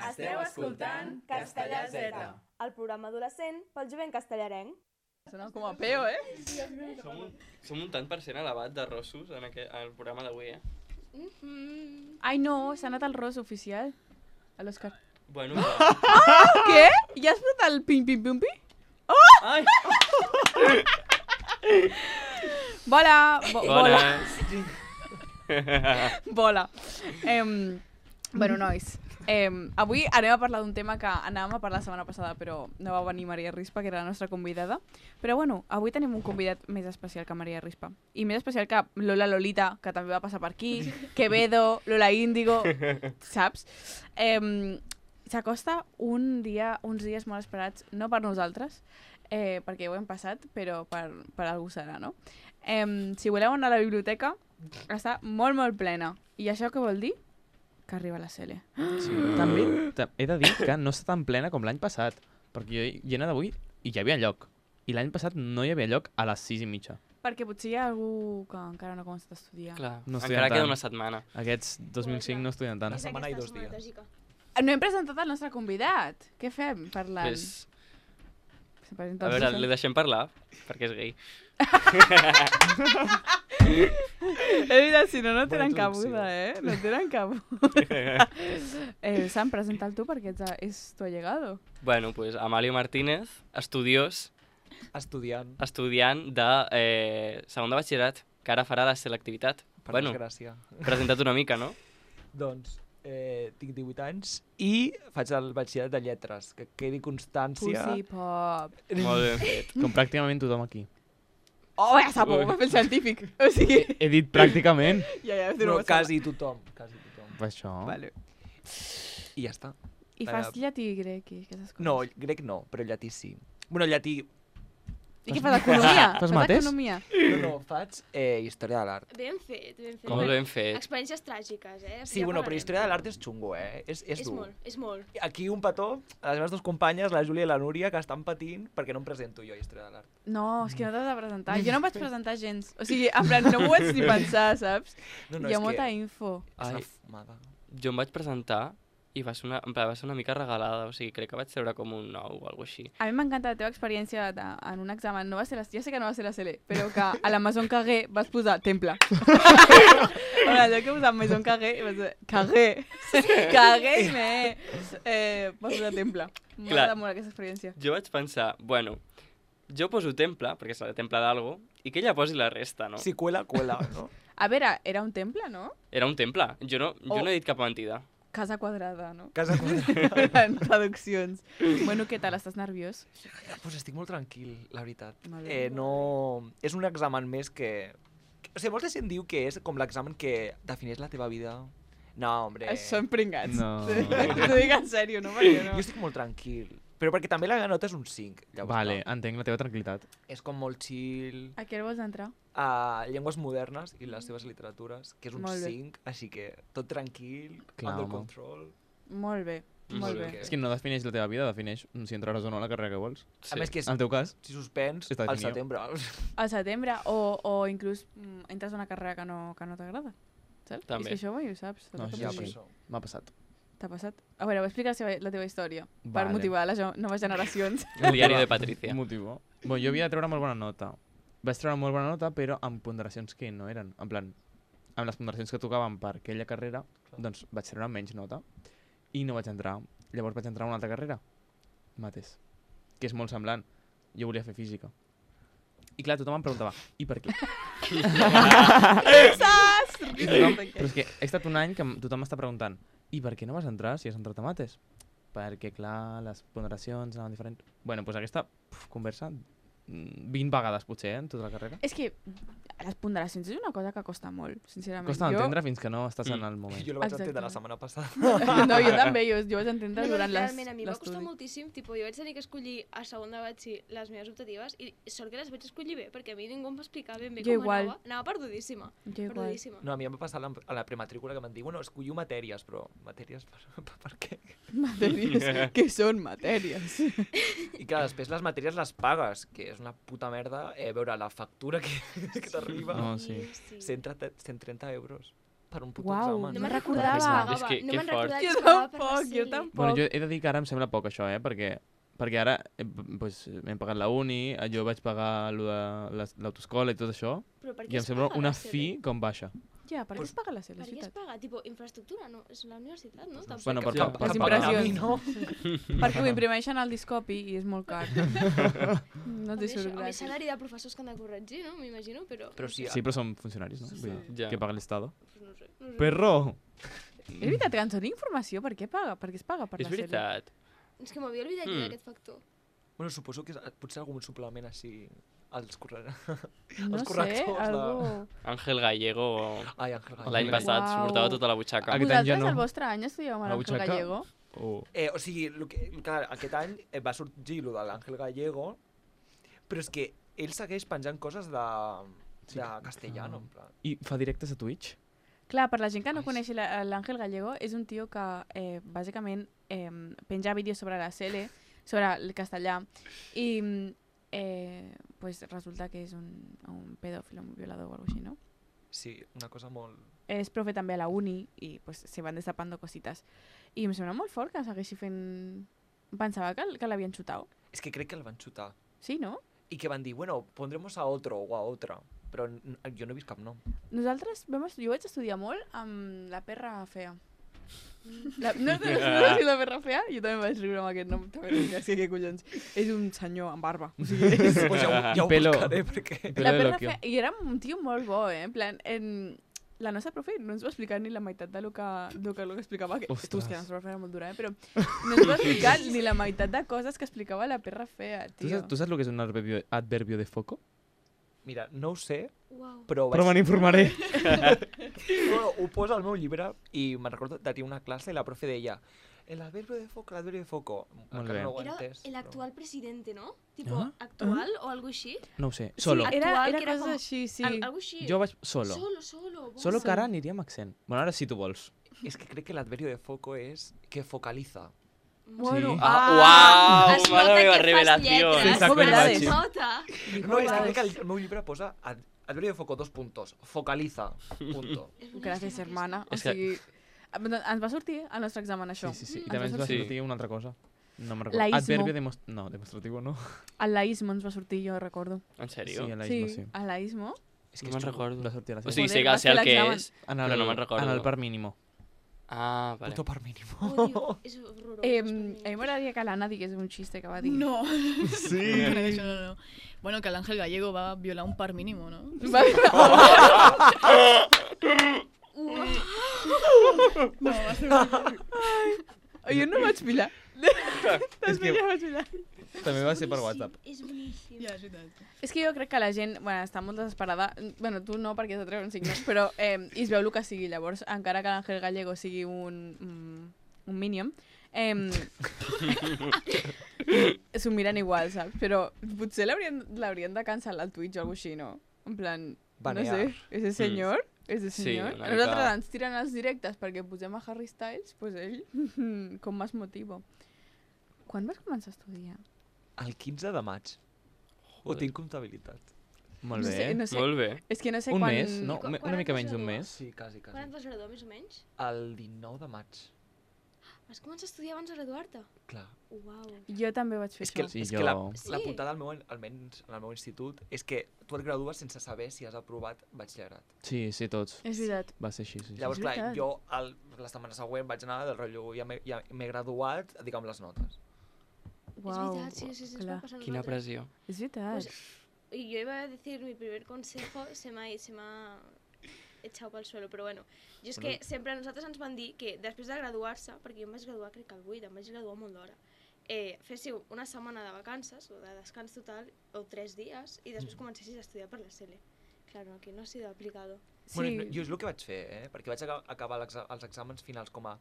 Esteu escoltant Castellà Z, el programa adolescent pel jovent castellarenc. Sona com a peo, Som un tant per cent elevat de rossos en el programa d'avui, Ai, no, s'ha anat el ros oficial. A l'Òscar. Bueno, Què? Ja has posat el pim-pim-pum-pi? Ai! Bola! Bona! Bola. Bueno, nois, avui anem a parlar d'un tema que anàvem a parlar la setmana passada, però no va venir Maria Rispa, que era la nostra convidada. Però bueno, avui tenim un convidat més especial que Maria Rispa. I més especial que Lola Lolita, que també va passar per aquí, Quevedo, Lola Índigo, saps? S'acosta uns dies molt esperats, no per nosaltres, perquè ho hem passat, però per algú serà, no? Si voleu anar a la biblioteca, està molt, molt plena. I això què vol dir? Que arriba la Cele. Sí, també he de dir que no està tan plena com l'any passat, perquè jo hi he anat avui i hi havia lloc. I l'any passat no hi havia lloc a les 6:30. Perquè potser hi ha algú que encara no ha començat a estudiar. Clar, No encara estudien queda tant. una setmana. Aquests 2005 no estudien tant. Una setmana i 2 dies. No hem presentat el nostre convidat. Què fem parlant? Pues, Se presenta a el veure, Susan. li deixem parlar, perquè és gay. És veritat, si no, no tenen Bona introducció. cabuda, No tenen cabuda. Sam, presenta'l tu perquè és tu allegado. Bueno, pues Amalio Martínez, estudiós, Estudiant, de segon de batxillerat, que ara farà la selectivitat. per Bueno, desgràcia. presenta't una mica, no? Doncs tinc 18 anys i faig el batxillerat de lletres, que quedi constància. Pussy pop. Molt ben fet. Com pràcticament tothom aquí. Oh, ja sap, va fer el científic. O sigui, He dit pràcticament. ja, No, quasi tothom. Per això. Vale. I ja està. I fas llatí i grec i aquestes coses. No, grec no, però llatí sí. Bueno, llatí... I què fas, economia? Fas mates? economia? No, faig història de l'art. Ben fet, ben fet. Molt ben fet. Experiències tràgiques, Sí, bueno, però història de l'art és xungo, És És dur. molt, és molt. Aquí un petó a les meves dues companyes, la Júlia i la Núria, que estan patint perquè no em presento jo a història de l'art. No, és que no t'has de presentar. Jo no em vaig presentar gens. O sigui, en plan, no m'ho vaig ni pensar, saps? No, Hi ha és molta que info. és una Ai. fumada. Jo em vaig presentar i va ser una mica regalada, o sigui, crec que vaig treure com un 9 o alguna així. A mi m'encanta la teva experiència en un examen. No va ser ja sé que no va ser la CL, però que a la Maison Cagué vas posar temple. Bueno, allò que posat Maison Cagué, vas dir, Cagué. Cagué i vas posar temple. M'agrada molt aquesta experiència. Jo vaig pensar, bueno, jo poso temple, perquè serà temple d'algo, i que ella posi la resta, no? Si cuela, cuela, no? A veure, era un temple, no? Era un temple, jo no he dit cap mentida. Casa quadrada, no? Casa quadrada. En traduccions. Bueno, què tal? Estàs nerviós? Pues estic molt tranquil, la veritat. Molt bé. No... És un examen més que... O sigui, molta gent diu que és com l'examen que defineix la teva vida. No, hombre. Són pringats. No. T'ho dic en sèrio, no? Perquè no. Jo estic molt tranquil. Però perquè també la nota és un 5. Llavors, Vale, clar, entenc la teva tranquil·litat. és com molt chill. A què vols entrar? A llengües modernes i les seves literatures, que és un Molt bé. 5, així que tot tranquil, Clar, under home. control. Molt bé, molt bé. És que no defineix la teva vida, defineix si entraràs o no a la carrera que vols. A més que En el teu cas, si suspens, Està al definit. setembre. Al setembre, o inclús entres a una carrera que no t'agrada. Saps? També. És que això mai ho saps. No, T'ha això Ja, passat? per sí. això. m'ha passat. T'ha passat? A veure, va explicar la teva història per Vale. motivar les noves generacions. El diari de Patricia. Motivo. Bueno, jo havia de treure molt bona nota. Vaig treure molt bona nota, però amb ponderacions que no eren. En plan, amb les ponderacions que tocaven per aquella carrera, doncs vaig treure menys nota. I no vaig entrar. Llavors vaig entrar a una altra carrera. Mates. Que és molt semblant. Jo volia fer física. I clar, tothom em preguntava, i per què? Saps? I tothom, però és que he estat un any que tothom m'està preguntant, i per què no vas entrar si has entrat a mates? Perquè, clar, les ponderacions anaven diferents. Bueno, doncs aquesta conversa 20 vegades potser, en tota la carrera. És que les ponderacions és una cosa que costa molt, sincerament. Costa d'entendre fins que no estàs en el moment. Jo la vaig Exacte. entendre la setmana passada. No, jo també, jo vaig entendre durant realment, a mi em va costar l'estudi. moltíssim, jo vaig tenir que escollir a segon de batxi les meves optatives i sort que les vaig escollir bé, perquè a mi ningú em va explicar ben bé Jo com igual. anava perdudíssima. Jo igual. Perdudíssima. No, a mi em va passar a la prematrícula que m'han dit, bueno, escolliu matèries, però matèries per què? Matèries. Què són matèries? I clar, després les matèries les pagues, que és una puta merda veure la factura que t'arriba. No, sí. 130 euros. per un puto Uau, examen. No me'n me'n recordava que es recordava. pagava. És que No me'n fort. recordava que Jo es pagava per la tampoc, jo Sele. tampoc. Bueno, jo he de dir que ara em sembla poc això, perquè ara pues, hem pagat la uni, jo vaig pagar l'autoescola i tot això, Però per què i em es sembla paga una la Sele? fi com baixa. Ja, per què es paga la Sele, Per és què es veritat? paga? Tipo, infraestructura, no? És la universitat, no? Tampoc. Bueno, per, Ja, per, les per pagar. impressions. no? Perquè ho imprimeixen al discopi i és molt car. No t'hi surt Amb el gratis. salari de professors que han de corregir, no? M'imagino, però... Però sí, Sí, però són funcionaris, no? Vull dir, Ja. que paga l'Estado. Pues no sé, no sé. Perro! És veritat que ens doni informació, per què paga? Per què es paga per És la Sele? veritat. És que m'havia oblidat jo d'aquest factor. Bueno, suposo que potser algun suplement així als No els sé, correctors algú... Àngel Gallego Ai, Àngel Gallego. l'any passat Uau. s'ho portava tota la butxaca. Aquest any ja Vosaltres no. al vostre any estudiàveu amb La l'Àngel butxaca? Gallego? Oh. O sigui, clar, aquest any va sorgir lo de l'Àngel Gallego, però és que ell segueix penjant coses de castellano, en plan. I fa directes a Twitch? Clar, per la gent que no coneix l'Àngel Gallego, és un tio que bàsicament penja vídeos sobre la Sele, sobre el castellà, i pues resulta que és un pedòfil, un violador o alguna cosa així, no? Sí, una cosa molt... És profe també a la uni i pues, se van destapando cositas. I em sembla molt fort que segueixi fent... Pensava que l'havien xutat. És que crec que el van xutar. Sí, no? I que van dir, bueno, pondremos a otro o a otra. Però jo no he vist cap nom. Nosaltres, jo vaig estudiar molt amb la perra fea. No sé si la perra fea, jo també vaig riure amb aquest nom. També és que què collons. És un senyor amb barba. O sigui, és... Pues ja ho Pelo. buscaré, perquè... Pelo La de perra Loquio. fea, i era un tio molt bo, en plan, la nostra profe no ens va explicar ni la meitat de lo que explicava, que Ostres. tu, és que la nostra profe era molt dura, però no ens va explicar ni la meitat de coses que explicava la perra fea, tio. Tu saps el que és un adverbio de foco? Mira, no ho sé, Uau. però Però me n'informaré. Bueno, ho posa al meu llibre i me'n recordo de tenir una classe i la profe deia el adverbio de foco. Molt Encara bé. no ho he Era entès. el però- actual presidente, ¿no? Tipo, Ah. actual o algo així. No ho sé. Solo. Sí, Actual, era que era coses com- així, sí. Algo així. Jo vaig solo. Solo. Solo que ara aniria amb accent. Bueno, ara sí tu vols. És que crec que l'adverbio de foco és que focaliza. Bueno, Sí. Uau, Es mare nota meva, que fas revelació. lletres. Sí, saco Es verdades. nota. No, és que crec que el meu llibre posa adverbio de foco, 2 puntos. Focaliza, punto. Gràcies, hermana. O És que- sigui, ens va sortir al nostre examen això. Sí. I Ens també ens va sortir. sortir una altra cosa. No me'n recordo. Laísmo. Adverbio no, demostrativo no. El laísmo ens va sortir, jo recordo. En sèrio? Sí, a l'Aismo, sí. el laísmo. És No que me'n és xungo. recordo. Va sortir a la O sigui, Joder, sé que vas sé el fer que l'examen. és, en però no me'n recordo. En el par mínimo. Ah, vale. Puto par mínimo. Odio, és horrorós. A mi m'agradaria que l'Anna digués un xiste que va dir. No. Sí. No. Bueno, que el Ángel Gallego va a violar un par mínimo, ¿no? Va dir... No, va a ser Jo no vaig mirar. És que Ja vaig mirar. també va ser per WhatsApp. És boníssim. Ja, és veritat. És que jo crec que la gent, bueno, està molt desesperada. Bueno, tu no, perquè has de treure un signe, però i es veu el que sigui. Llavors, encara que l'Àngel Gallego sigui un minion, s'ho miren igual, saps? Però potser l'haurien de cancel·lar al Twitch o alguna cosa així, no? En plan, Banear. no sé, ese senyor, ese Sí, senyor. una A nosaltres mica- ens tiren els directes perquè posem a Harry Styles, pues ell, com més motivo. Quan vas començar a estudiar? El 15 de maig. Ho Joder. tinc comptabilitat. Molt No bé. sé, no sé. Molt bé. És que no sé Un quan... mes, no? Quan Una mica et vas menys d'un graduar? mes. Sí, quasi. Quan et vas graduar, més o menys? El 19 de maig. Vas començar a estudiar abans de graduar-te? Clar. Uau. Jo també vaig fer És que, això. Sí, és que la jo- Sí. putada, almenys en el meu institut, és que tu et gradues sense saber si has aprovat batxillerat. Sí, tots. És veritat. Va ser així, sí. Llavors, clar, veritat. jo la setmana següent vaig anar del rotllo, ja m'he graduat, digue'm les notes. Uau, És veritat, sí, es clar. va passar a Quina nosaltres. pressió. És veritat. Pues, y yo iba a decir mi primer consejo, se me ha echado pel suelo, però bueno. Jo és que sempre a nosaltres ens van dir que després de graduar-se, perquè jo em vaig graduar crec que al 8, em vaig graduar molt d'hora, féssiu una setmana de vacances o de descans total, o 3 dies, i després comencessis a estudiar per la Sele. Claro, que no ha sido aplicado. Sí. Bueno, jo és el que vaig fer, perquè vaig acabar els exàmens finals com a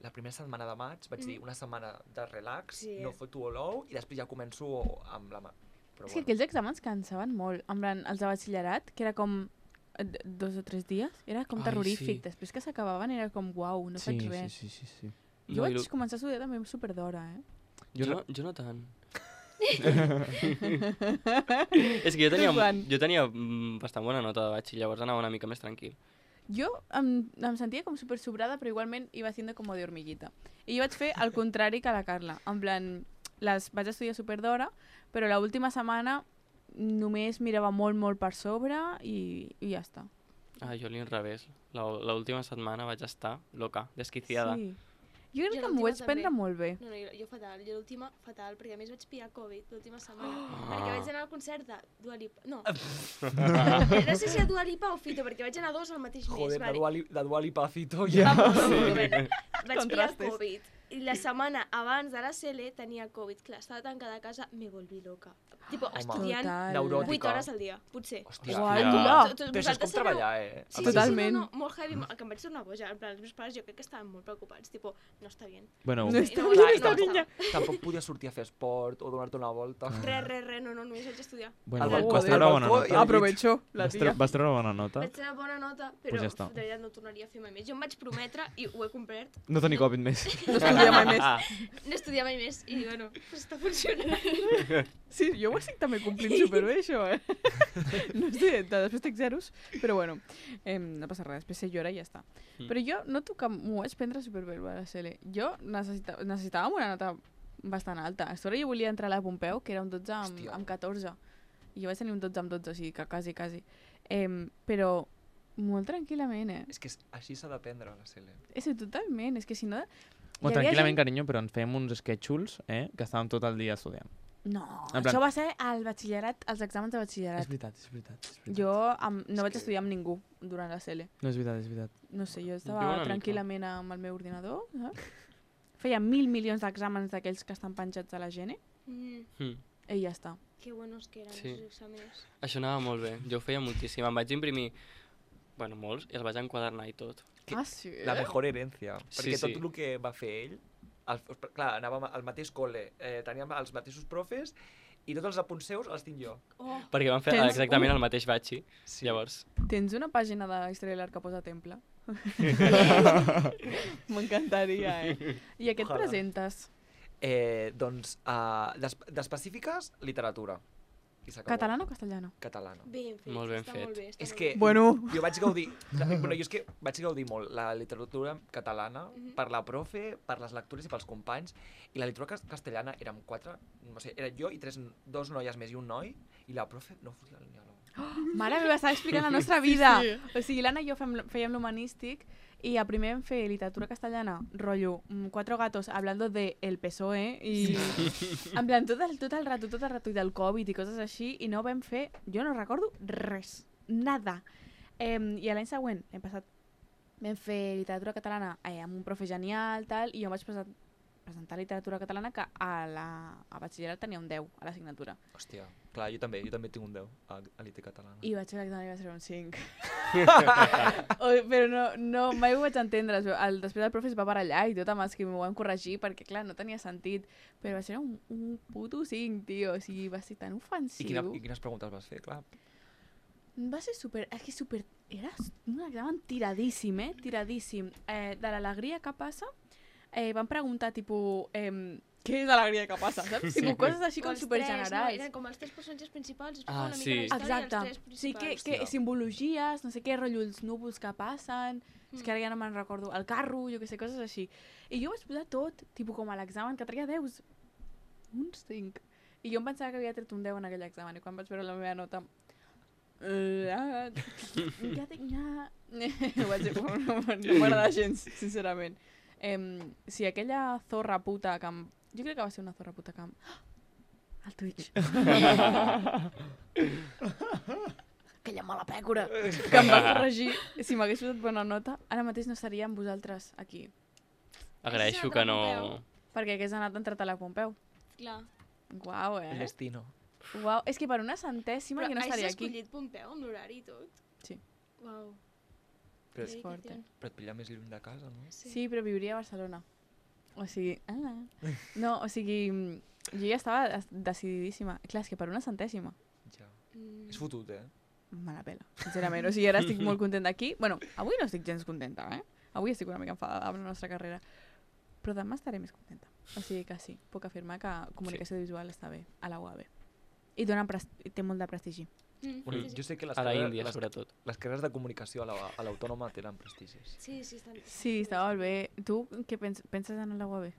la primera setmana de maig, vaig dir una setmana de relax, Sí, no foto olou, i després ja començo amb la mà. Però És que aquells exàmens cansaven molt. En plan, els de batxillerat, que era com 2 o 3 dies, era com Ai, terrorífic. sí. Després que s'acabaven era com, uau, no faig res. Sí. Jo vaig començar a estudiar també super d'hora, Jo no tant. És que jo tenia Quan? bastant bona nota de batx i llavors anava una mica més tranquil. jo em sentia com super sobrada, però igualment iba haciendo como de hormiguita. I jo vaig fer el contrari que la Carla. En plan, vaig estudiar super d'hora, però l'última setmana només mirava molt per sobre i ja està. Ah, jo l'inrevés. L'última setmana vaig estar loca, desquiciada. Sí. Jo crec Jo que m'ho vaig l'última prendre també. molt bé. No, jo fatal. Jo l'última fatal, perquè a més vaig pillar Covid l'última setmana. Perquè vaig anar al concert de Dua Lipa. No. No sé si a Dua Lipa o Fito, perquè vaig anar a dos al mateix mes. Joder, Vale. de Dua Lipa a Fito. Ja. Ja. Bueno, vaig pillar Contrastes. Covid. I la setmana abans de la CL tenia Covid. Clar, estava tancada a casa, me volví loca. Tipo, Home. estudiant Neuròtica. 8 hores al dia, potser. Hòstia. Uala! Però això és com treballar, Sí, Totalment. Sí, no, molt heavy, que em vaig tornar boja. En plan, els meus pares jo crec que estaven molt preocupats. Tipo, no està bien. Bueno, No està No, bien no, esta no, niña. Tampoc podies sortir a fer esport o donar-te una volta. Res, no, només vaig estudiar. bueno Al vas balcó, treure al bona balcó nota. i al Aprovecho la tia. Vas treure bona nota? Vaig tenir bona nota, però Pues ja està. de veritat no ho tornaria a fer mai més. Jo em vaig prometre, i ho he complert, No tenir Covid més. No estudia mai més. no estudiar mai més. I bueno, pues està funcionant. Sí, jo ho estic també complint superbé, això, eh? No sé, després tinc zeros, però bueno, no passa res, després sé llorar i ja està. Però jo noto que m'ho vaig prendre superbé, a la CL. Jo necessitàvem una nota bastant alta. A sobre jo volia entrar a la Pompeu, que era un 12 Hòstia. amb 14. I jo vaig tenir un 12 amb 12, o sigui que quasi. Però molt tranquil·lament, eh? És que així s'ha d'aprendre a la CL. És que totalment, és que si no... Bueno, hi havia tranquil·lament, gent- carinyo, però ens fèiem uns sketchuls, que estàvem tot el dia estudiant. No, En plan- això va ser al batxillerat, als exàmens de batxillerat. És veritat. Jo no vaig estudiar amb ningú durant la CL. No, és veritat. No sé, jo Jo estava una mica. tranquil·lament amb el meu ordinador, saps? Feia 1.000 milions d'exàmens d'aquells que estan penjats a la Gene i ja està. Que buenos que eren Sí. els exàmenes. Això anava molt bé. Jo ho feia moltíssim. Em vaig imprimir, bueno, molts, i els vaig enquadernar i tot. Que- Ah, sí? La mejor herència. Sí, Perquè sí. tot el que va fer ell, clar, anàvem al mateix col·le, teníem els mateixos profes i tots els apunts seus els tinc jo. Oh, Perquè vam fer Tens exactament el mateix batxi. Sí. Llavors, Tens una pàgina de Història de l'Art que posa temple? M'encantaria, eh? I a què et Ojalà. presentes? Doncs, d'específiques, literatura. I s'acabó. Catalana o castellana? Catalana. ben fet. Molt ben està fet. Molt bé, està És molt que bé. Bueno. jo vaig gaudir, bueno, jo és que vaig gaudir molt la literatura catalana per la profe, per les lectures i pels companys, i la literatura castellana érem 4, no sé, era jo i 2 noies més i un noi, i la profe no fotia ni a l'ou. Mare meva, estava explicant la nostra vida. O sigui, l'Anna i jo fèiem l'humanístic i a primer vam fer literatura castellana, rotllo, 4 gatos hablando de el PSOE i en plan tot el rato i del Covid i coses així i no vam fer, jo no recordo res, nada. I a l'any següent vam fer literatura catalana amb un profe genial tal, i jo em vaig presentar literatura catalana que a batxillerat tenia un 10 a l'assignatura. Hòstia, clar, jo també tinc un 10 a l'IT catalana. I vaig fer l'examen i va ser un 5. Però no, mai ho vaig entendre. Després el profe es va barallar i tot amb els que m'ho van corregir perquè, clar, no tenia sentit. Però va ser un puto 5, tio. O sigui, va ser tan ofensiu. I quines preguntes vas fer, clar? Va ser super... És que super... Era un examen tiradíssim, tiradíssim. De l'alegria que passa, van preguntar, tipus... què és l'alegria que passa, saps? Sí. Tipus, coses així com Els supergenerals. tres, no? Eren com els 3 personatges principals, explicaven una sí. mica la història Exacte. dels 3 Sí, principals. que Hòstia. simbologies, no sé què, rotllo, els núvols que passen, és que ara ja no me'n recordo, el carro, jo que sé, coses així. I jo vaig posar tot, tipus com a l'examen, que treia 10, uns 5. I jo em pensava que havia tret un 10 en aquell examen, i quan vaig veure la meva nota... ja tinc... Ho vaig dir, no m'agrada gens, sincerament. Si aquella zorra puta que em... Jo crec que va ser una zorra puta que em... Al Twitch. Aquella mala pècora que em va corregir. Si m'hagués posat bona nota, ara mateix no seria amb vosaltres aquí. agraeixo que no... Perquè hagués anat entrat a la Pompeu. Clar. Uau, El destino. Uau, és que per una centèsima Però jo no estaria has aquí. escollit Pompeu amb l'horari i tot? Sí. Uau. Però, És fort, eh? però et pilla més lluny de casa, no? Sí, però viuria a Barcelona. O sigui... No, o sigui... Jo ja estava decididíssima. Clar, és que per una centèsima. Ja. És fotut, eh? Me la pela, sincerament. O sigui, ara estic molt contenta aquí. Bueno, avui no estic gens contenta, eh? Avui estic una mica enfadada amb la nostra carrera. Però demà estaré més contenta. O sigui que sí, puc afirmar que comunicació visual està bé a la UAB. I té molt de prestigi. Bueno, jo sé que les A la carreres- Índia, les- sobretot. les carreres de comunicació a l'Autònoma tenen prestigis. Sí, estan... Sí, està molt bé. Tu què penses en la UAB?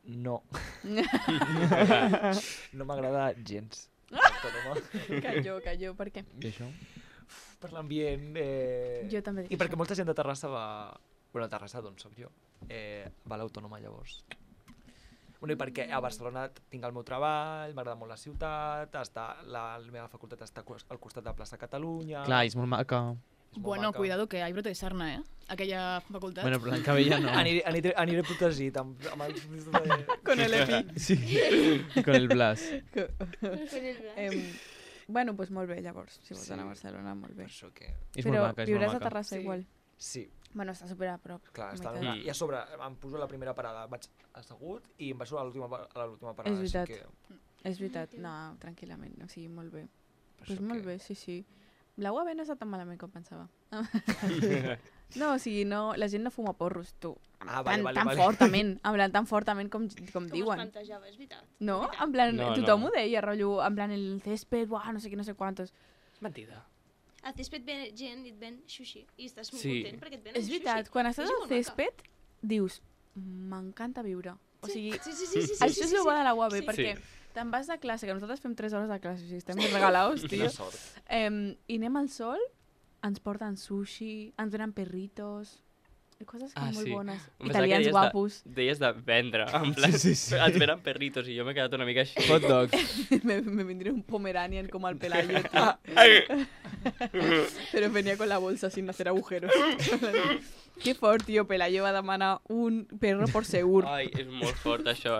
No. No m'agrada gens. L'Autònoma. Calló, per què? I això? Per l'ambient... Jo també dic I perquè això. molta gent de Terrassa va... Bueno, a Terrassa, d'on soc jo, va a l'Autònoma llavors. Bueno, i perquè a Barcelona tinc el meu treball, m'agrada molt la ciutat, la meva facultat està al costat de Plaça Catalunya... Clar, és molt maca. és molt Bueno, maca. cuidado que hay brote de sarna, Aquella facultat. Bueno, però l'any que ve ja no. Aniré protegit amb els... Con el EPI. Sí, con el Blas. Bueno, pues molt bé, llavors. Si vols Sí. anar a Barcelona, molt bé. Per això que... És Però molt maca, és molt viuràs a maca. Terrassa Sí. igual. Sí, Bueno, està super a prop. clar, a està meitat. I a sobre em poso a la primera parada, vaig assegut i em baixo a l'última parada. És veritat. Així que... És veritat, no, tranquil·lament, o sigui, molt bé. per Pues això molt que- bé, sí. La UAB no està tan malament com pensava. No, o sigui, no, la gent no fuma porros, tu. Ah, vale, vale, tan vale. fortament, en plan, tan fortament com Com es diuen. plantejava, és veritat. No? Veritat. En plan, No, tothom no. ho deia, rotllo, en plan, el césped, buah, no sé què, no sé quantos. Mentida. A césped ve gent i et ven sushi. I estàs molt Sí. content perquè et venen És sushi. veritat, quan estàs És al molt maca. césped, dius, m'encanta viure. O sigui, Sí. això és el bo de la UAB, Sí. perquè Sí. te'n vas de classe, que nosaltres fem 3 hores de classe, o sigui, estem regalados, tio. Quina sort. I anem al sol, ens porten sushi, ens venen perritos, i coses com Ah, molt sí. bones. Em pensava que Italians deies guapos. Deies de vendre, en plan, et venen perritos i jo m'he quedat una mica així. Hot dogs. me vendré un Pomeranian como al Pelayo, tío. Pero venía con la bolsa sin hacer agujeros. Qué fort, tío. Pelayo va a demanar un perro por segur. Ai, és molt fort això,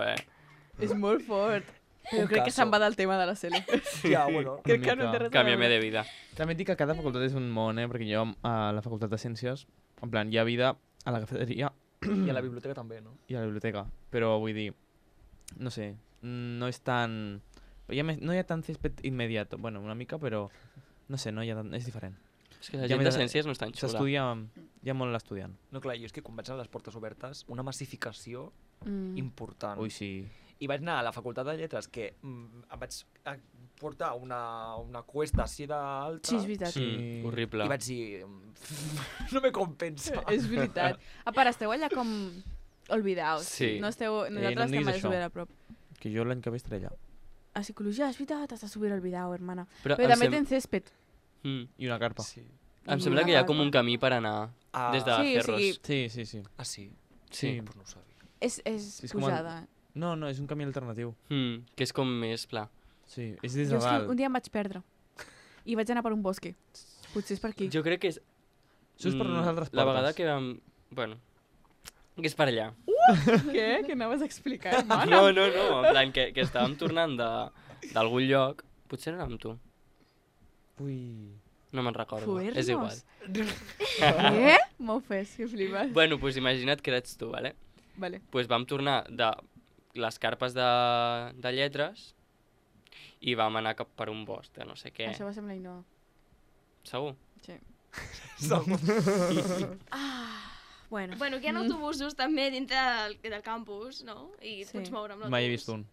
És molt fort. Però Un crec que caso. se'n va del tema de la Cele. Ja, bueno. Crec que no mica. té res a Canvia'm veure. de vida. També et dic que cada facultat és un món, perquè jo a la facultat de Ciències, en plan, hi ha vida a la cafeteria I a la biblioteca també, no? i a la biblioteca, però vull dir, no sé, no és tan... no hi ha tant césped immediat, bueno, una mica, però no sé, no hi ha tant, és diferent. És que la Ja gent de m'he- ciències no és tan xula. S'estudia, hi ha molt l'estudiant. No, clar, jo és que quan vaig a les portes obertes, una massificació Mm. important. Ui, sí. I vaig anar a la facultat de lletres que em vaig portar una cuesta així d'alta Sí, és veritat. Sí. Horrible. i vaig dir, no me compensa. És veritat. A part, esteu allà com olvidaos. Sí. No esteu... no em Nosaltres diguis estem a això. super a prop. Que jo l'any que ve estaré allà. A psicologia, és veritat, estàs super olvidado, hermana. Però Però em també sem- tens césped. I una carpa. Sí. Em sembla que hi ha com un camí per anar Ah, des de Sí, o Cerros. sigui, Sí, sí, sí. ah, sí? Sí. Pues no ho sabia. És És com pujada. No, no, és un camí alternatiu. Que és com més pla. Sí, és des Jo de és que dalt. un dia em vaig perdre. I vaig anar per un bosque. Potser és per aquí. Jo crec que és... Això és per unes altres La portes. vegada que vam... Bueno, que és per allà. Què? Que anaves a explicar, hermana? No, en plan, que estàvem tornant d'algun lloc. Potser era amb tu. Ui. No me'n recordo. Fuernos. És igual. Què? M'ho fes, que flipes. Bueno, pues imagina't que eres tu, vale? Vale. Pues vam tornar de les carpes de lletres i vam anar cap per un bosc de no sé què. Això va ser amb la Ainhoa. Segur? Sí. Segur. Bueno. Bueno, que hi ha autobusos també dintre del campus, no? I et Sí. pots moure amb l'autobús. Mai he vist un.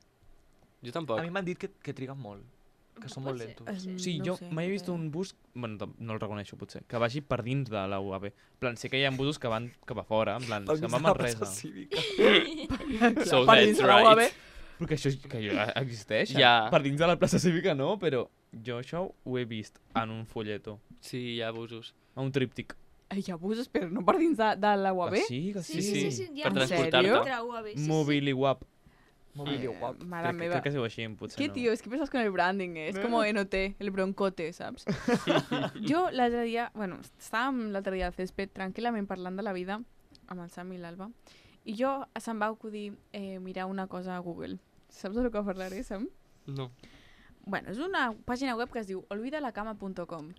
Jo tampoc. A mi m'han dit que triguen molt, que són molt Pot ser, lentos. pot ser. Sí, no jo ho sé, mai he vist però- un bus, bueno, no el reconeixo potser, que vagi per dins de la UAB. En plan, sé que hi ha busos que van cap a fora, en plan, Pel se'n mig va de a la Manresa. plaça cívica. So per that's dins de la UAB. right. Però que això que ja existeix. Ja. Per dins de la plaça cívica no, però jo això ho he vist en un folleto, Sí, hi ha abusos. a un tríptic. Hi ha busos, però no per dins de la UAB? Que sí, que Sí, sí. sí, sí, sí. Hi ha Per En transportar-te. sèrio? Entre UAB, sí, sí. Mobiliwap. Mobilio guap. Mare Crec, meva. crec que es diu així, potser ¿Qué no. tío? Es que piensas con el branding, es como NOT, el broncote, ¿sabes? Jo l'altre dia, bueno, estàvem l'altre dia al césped tranquil·lament parlant de la vida amb el Sam i l'Alba i jo se'm va acudir mirar una cosa a Google. Saps de què parlaré, Sam? No. Bueno, és una pàgina web que es diu olvidalacama.com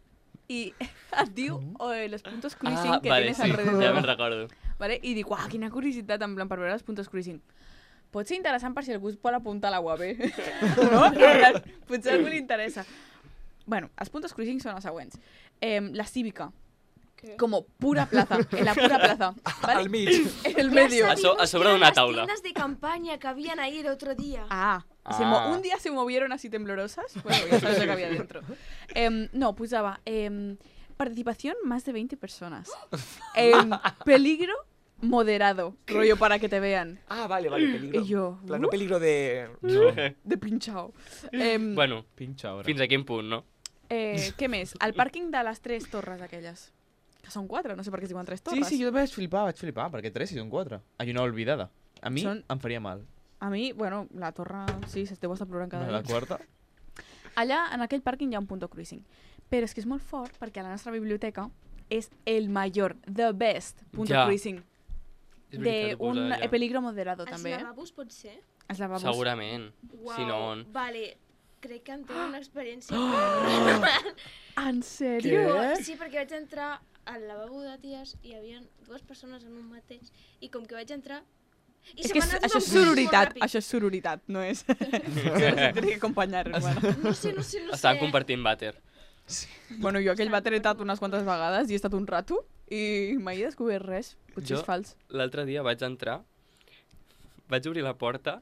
i et diu los puntos cruising que vale, tienes sí, alrededor. ja me'n recordo. Vale? I dic, uah, quina curiositat, en plan, per veure els puntos cruising. Pot ser interessant per si algú es vol apuntar a la UAB. No? En plan, potser a algú li interessa. Bueno, els puntos cruising són els següents. La cívica, Què? como pura plaza, en la pura plaza. ¿vale? Al mig. En el medio. A sobre d'una taula. Las tiendas de campaña que habían ahí el otro día. Ah, Un día se movieron así temblorosas. Bueno, ya sabes lo que había dentro. No, posaba participación más de 20 personas. Peligro moderado, rollo para que te vean. Ah, vale, peligro. I jo... En plan, no peligro de... De pinxau. Bueno, Pinxa ara. fins a quin punt, no? Què més? El pàrquing de les 3 torres aquelles. Que són 4, no sé per què es diuen 3 Sí, torres. sí, jo vaig flipar, perquè 3 i són 4. Hay una olvidada. A mi Són- em faria mal. A mi, bueno, la torre, sí, se deu estar plorant cada La dia. quarta? Allà, en aquell pàrquing, hi ha un punto cruising. Però és que és molt fort perquè a la nostra biblioteca és el major, the best punto Ja. cruising. És De veritat, ho un posa allà. peligro moderado, Els també. lavabos pot ser? Els lavabos. Segurament. Uau, Si no... Vale, crec que en tinc una experiència. En sèrio? Sí, perquè vaig entrar al lavabo de ties i hi havia 2 persones en un mateix i com que vaig entrar... I És se que m'ha anat això és tot molt sororitat, ràpid. això és sororitat, no és... Tiene que acompanyar, bueno. No sé. Estaven compartint vàter. Bueno, jo aquell vàter he estat unes quantes vegades i he estat un rato i mai he descobert res. Potser Jo- és fals. L'altre dia vaig entrar, vaig obrir la porta,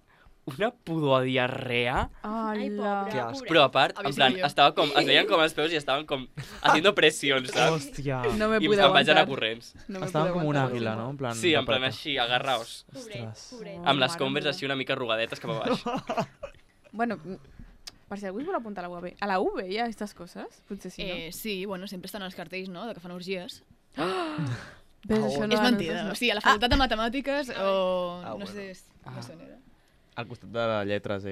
una pudor de diarrea, Ai, pobre, Que asco. pobre. però a part, Havia en plan, sigut jo. estava com, es veien com els peus i estaven com haciendo presión, saps? Hòstia. No me I pude em vaig anar aguantar. corrents. No me Estaven pude com un aguantar. àguila, no? En plan, Sí, en plan tapeta. així, agarraos. Pobret, Ostres. pobret. Amb les mare Converse meva. així una mica arrugadetes cap a baix. Bueno, per si algú es vol apuntar a la UAB. A la UB hi ha aquestes coses? Potser sí, no? Sí, bueno, sempre estan els cartells, no?, de que fan orgies. Ves, això no, És a mentida. nosaltres O sigui, a la facultat de matemàtiques o... Ah, no bueno. sé, no sé on era. Al costat de les lletres,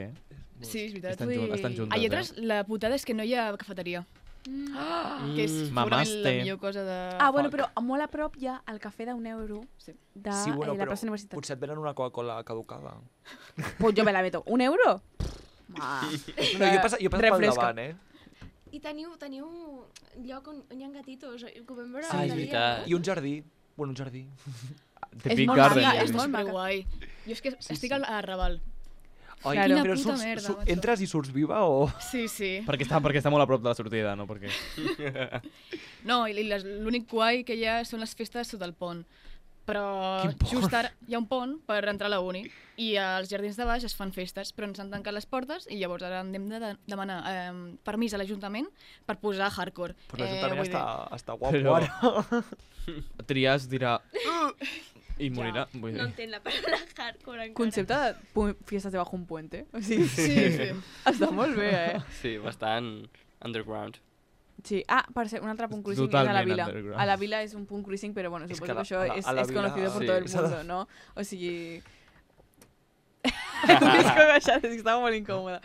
Sí, és veritat. Estan, Ui. estan juntes, A lletres, la putada és que no hi ha cafeteria, que és segurament la Mamaste. millor cosa de... Ah, bueno, però molt a prop hi ha el cafè d'1 € Sí. de Sí, bueno, la però plaça Universitat. potser et venen una Coca-Cola caducada. Pues jo me la meto. €1? Ma. No, jo he passat pel Refresca. davant, eh? I teniu lloc on hi ha gatitos, que ho vam veure Ah, és l'altre dia, veritat. no? I un jardí. Bueno, un jardí. The És Big molt Garden. maca, és és molt maca. superguai. Jo és que estic al Raval. Ai, Claro. però Quina puta surts, merda, macho. entres i surts viva o...? Sí, sí. Perquè està molt a prop de la sortida, no? Perquè... No, i l'únic guai que hi ha són les festes sota el pont. Però Quin pont? just ara hi ha un pont per entrar a la uni i als jardins de baix es fan festes, però ens han tancat les portes i llavors ara hem de demanar permís a l'Ajuntament per posar hardcore. Però l'Ajuntament vull dir, està guapo Però- ara. Trias dirà... I morirà. Vull No dir. entenc la paraula hardcore encara. Concepte de fiestas debajo un puente. O sigui, Sí, sí. està molt bé, eh? Sí, bastant underground. Sí. Ah, per ser un altre punt cruising és a la Totalment Vila. underground. A la Vila és un punt cruising, però bueno, És suposo que que això a la és Vila, conocido por sí, todo el s'ha de- mundo, no? O sigui... Tu tens que baixar, és que estava molt incòmoda.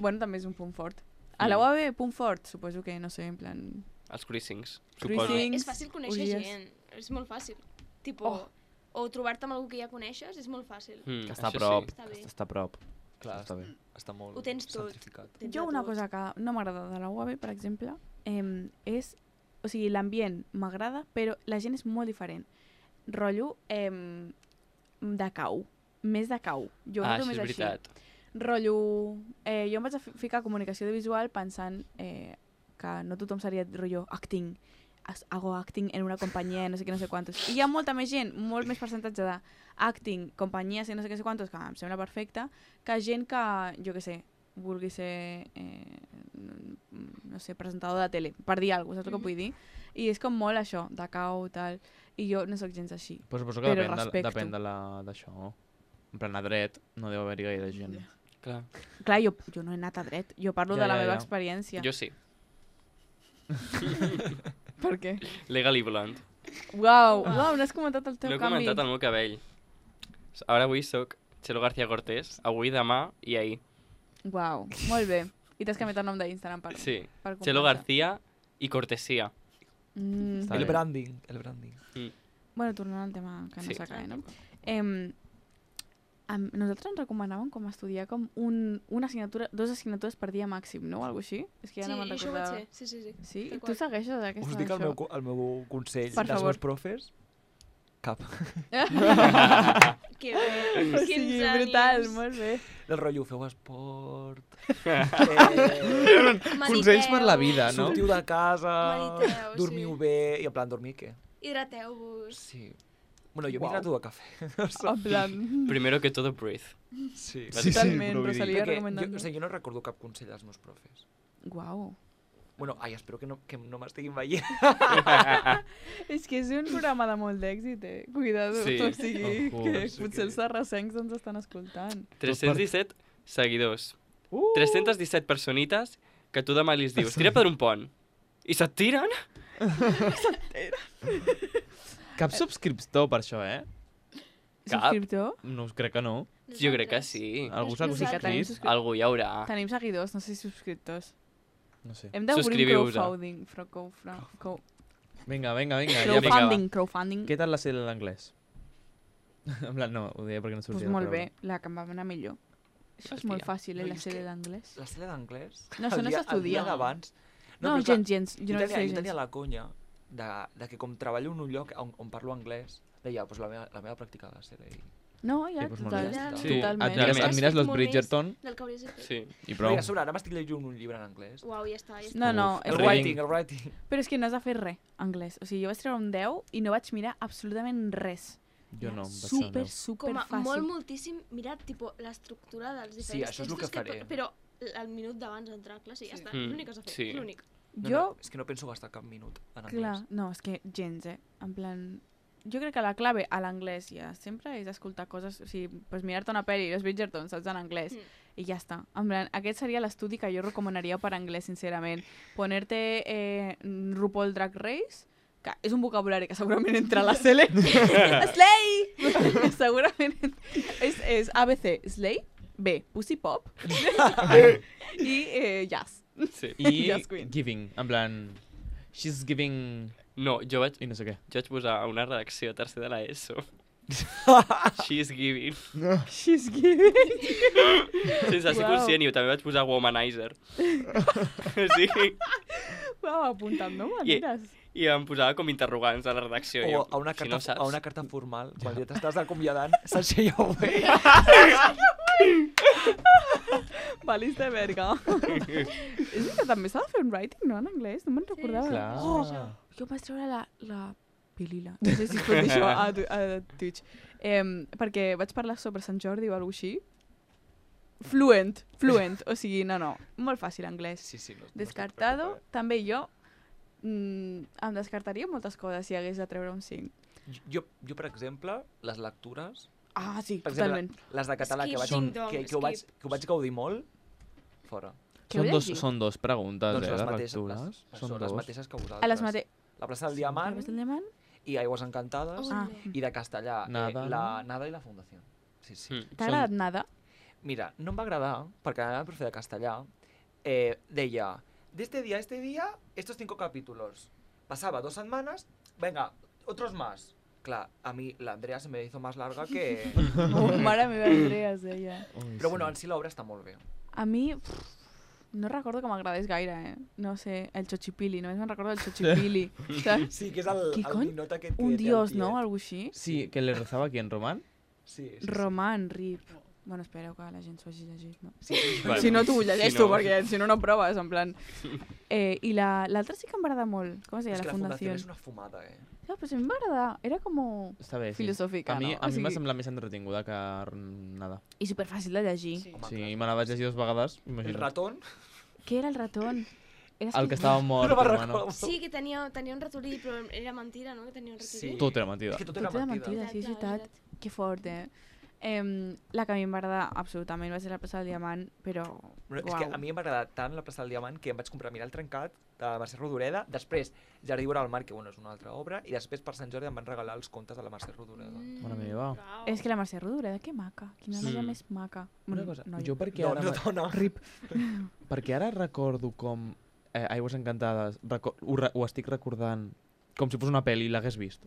Bueno, també és un punt fort. A la UAB, punt fort, suposo que, no sé, en plan... Els cruisings, suposo. Cruising. És fàcil conèixer orgies. gent, és molt fàcil. Tipo, o trobar-te amb algú que ja coneixes és molt fàcil. Mm, Que està a això prop. Sí. Està bé. Està a prop. Clar, Està bé. està molt Ho tens tot. centrificat. Tens Jo de una tot. cosa que no m'agrada de la UAB, per exemple, és... O sigui, l'ambient m'agrada, però la gent és molt diferent. Rotllo de cau. Més de cau. Jo ho Ah, noto això és més així. veritat. Rotllo... jo em vaig a ficar comunicació visual pensant que no tothom seria rotllo acting. Hago acting en una companyia, no sé què, no sé quantos. I hi ha molta més gent, molt més percentatge de acting, companyies i no sé què, no sé quantos, que em sembla perfecte, que gent que, jo què sé, vulgui ser, no sé, presentador de tele, per dir alguna cosa, saps el que vull dir? I és com molt això, de cau, tal, i jo no sóc gens així. Però suposo que Però depèn, respecto. depèn d'això. En plan, a dret no deu haver-hi gaire gent. Clar. Clar, jo no he anat a dret, jo parlo Ja, de la ja, meva ja. experiència. Jo sí. Per què? Legally Blonde. Uau, no has comentat el teu No he canvi. comentat el meu cabell. Ara avui sóc Chelo García Cortés, avui, demà i ahir. Uau, molt bé. I t'has canviat el nom d'Instagram per... Sí. per Chelo compensar. García i Cortesía. Està El bé. branding, el branding. Bueno, tornant al tema que no Sí. s'acaba, no? Nosaltres ens recomanàvem com estudiar com una assignatura, 2 assignatures per dia màxim, no? O alguna així? És que ja Sí, no me'n això ho vaig recordava. fer. Sí, sí, sí. Sí? Tal Tu qual. segueixes aquesta, Us dic el això? meu consell Per dels favor. meus profes. Cap. Que bé. O sigui, brutal, molt bé. El rotllo, feu esport, Consells per la vida, no? sortiu de casa, Mediteu, dormiu sí. bé... I en plan, dormir què? Hidrateu-vos. Sí. Bueno, jo m'he Uau. graduat a cafè. En plan... Primero que todo, breathe. Sí. Totalment, però vull dir- Rosalia Perquè recomendant. jo no recordo cap consell als meus profes. Uau. Bueno, espero que no m'estiguin veient. És que és un programa de molt d'èxit, Cuidado. Sí. O sigui, Ojo. que Sí potser que- els sarrasencs ens estan escoltant. 317 seguidors. 317 personites que tu demà li dius, tira per un pont. I se't tiren? Cap subscriptor per això, Cap. Subscriptor? No, crec que no. Jo crec que sí. Algú s'ha Sí que tenim subscrit? Algú hi haurà. Tenim seguidors, no sé si subscriptors. No sé. Hem d'obrir un Subscriviu-vos. crowdfunding. Vinga, ja Crowdfunding, crowdfunding. Què tal la sèrie d'anglès? En plan, no, ho deia perquè no Pues sortia molt bé, la que em va anar millor. Això és molt Hòstia. fàcil, No, la és sèrie que- d'anglès. La sèrie d'anglès... No, això no el dia s'estudia. d'abans... No, però clar, gens. Jo no jo sé tenia gens. la conya de que com treballo en un lloc on parlo anglès, deia, pues la meva pràctica de ser i... No, ja, Sí, doncs molt bé. Sí, totalment. admires- Et mires los Molt més Bridgerton Del que hauries de fer. Sí. i Però prou. a sobre, ara m'estic llegint un llibre en anglès. Uau, ja està, ja està. No, no, Uf, és El reading. writing. Però és que no has de fer res, anglès. O sigui, jo vaig treure un 10 i no vaig mirar absolutament res. Jo no, em vaig Super, saber. super Com a fàcil. moltíssim, mirar tipo, l'estructura dels Sí, diferents això és el textos que faré. Però el minut d'abans d'entrar a classe i ja està. És l'únic que has de fer. Sí. És l'únic. Jo, És que no penso gastar cap minut en anglès. clar, no, és que gens, En plan... Jo crec que la clave a l'anglès ja sempre és escoltar coses, o sigui, pues mirar-te una pel·li, els Bridgerton, saps, en anglès, i ja està. En plan, aquest seria l'estudi que jo recomanaria per anglès, sincerament. Ponerte RuPaul Drag Race, que és un vocabulari que segurament entra a la Sele. Slay! Segurament és ABC, Slay, B, Pussy Pop, i Jazz. Sí. I Yes, Queen. giving, en plan... She's giving... No, jo vaig I no sé què. posar a una redacció a tercer de l'ESO. She's giving. She's giving. Sense ser Uau. conscient, i també vaig posar womanizer. Sí. Uau, apuntant, no? Maneres. I em posava com interrogants a la redacció. O Jo, a una si carta, no saps... a una carta formal, quan ja t'estàs acomiadant, s'aixeia bé. Valis de verga. És que també s'ha de fer un writing, no? En anglès, no me'n recordava. Clar. Oh, jo em vaig treure la pilila. No sé si es pot dir això a Twitch. Perquè vaig parlar sobre Sant Jordi o alguna cosa així. Fluent. O sigui, no. Molt fàcil anglès. Sí, sí. No, Descartado, també jo em descartaria moltes coses si hagués de treure un 5. Jo, per exemple, les lectures, Ah, sí, per totalment. exemple, les de català Skip, que vaig, ding dong, que ho vaig gaudir molt, fora. Què heu llegit? Són dos preguntes, Doncs les de mateixes, lectures. Són les dos. mateixes que vosaltres. A les mate... La plaça del Diamant Parles del diamant? i Aigües Encantades Oh, Ah. no. i de castellà, Nada, la no? Nada i la Fundació. Sí, sí. T'ha agradat nada? Mira, no em va agradar, perquè la meva profe de castellà deia, de este día a este día, estos 5 capítulos. Pasaba 2 semanas, venga, otros más. Clar, a mi la Andrea se me hizo más larga que... Oh, mare meva, Andrea, es deia. Però bueno, en si l'obra està molt bé. A mi, no recordo que m'agradés gaire, No sé, el Xochipili, només me'n recordo del Xochipili. Saps? Sí, que és el Qui cony? ninot aquest que Un té el dios, tiet. no? Algo així. Sí, que le rezaba aquí en Román. Sí, sí, sí. Roman, Rip. Bueno, espereu que la gent s'ho hagi llegit, no? Sí, sí, sí. Bueno, Si no, tu ho llegeix si tu, no- perquè si no, no proves, en plan... I l'altra sí que em va agradar molt. Com es deia? És que La la Fundació Fundació. és una fumada, No, però a mi em va agradar. Era com Està bé, sí. filosòfica, A mi, no? a mi m'ha semblat més entretinguda que nada. I superfàcil de llegir. Sí. Home, Sí, clar. me la vaig llegir 2 vegades, El imagina't. ratón... Què era el ratón? Era El que estava mort, No me'n hermano. recordo. Sí, que tenia un ratolí, però era mentida, no? Que tenia un ratolí. Sí. Tot era mentida. És que tot Tot era era mentida. mentida, sí, és veritat. Que fort, La que a mi em va agradar absolutament va ser la plaça del Diamant, però... Però és que a mi em va agradar tant la plaça del Diamant que em vaig comprar Mirar el trencat de Mercè Rodoreda, després Jardí Vora al Mar, que bueno, és una altra obra, i després per Sant Jordi em van regalar els contes de la Mercè Rodoreda. Mare meva. És que la Mercè Rodoreda, que maca. Quina noia més maca. Una cosa, noia. jo perquè No, ara... no, dona. Rip. Perquè ara recordo com Aigües Encantades, ho estic recordant com si fos una pel·li i l'hagués vist.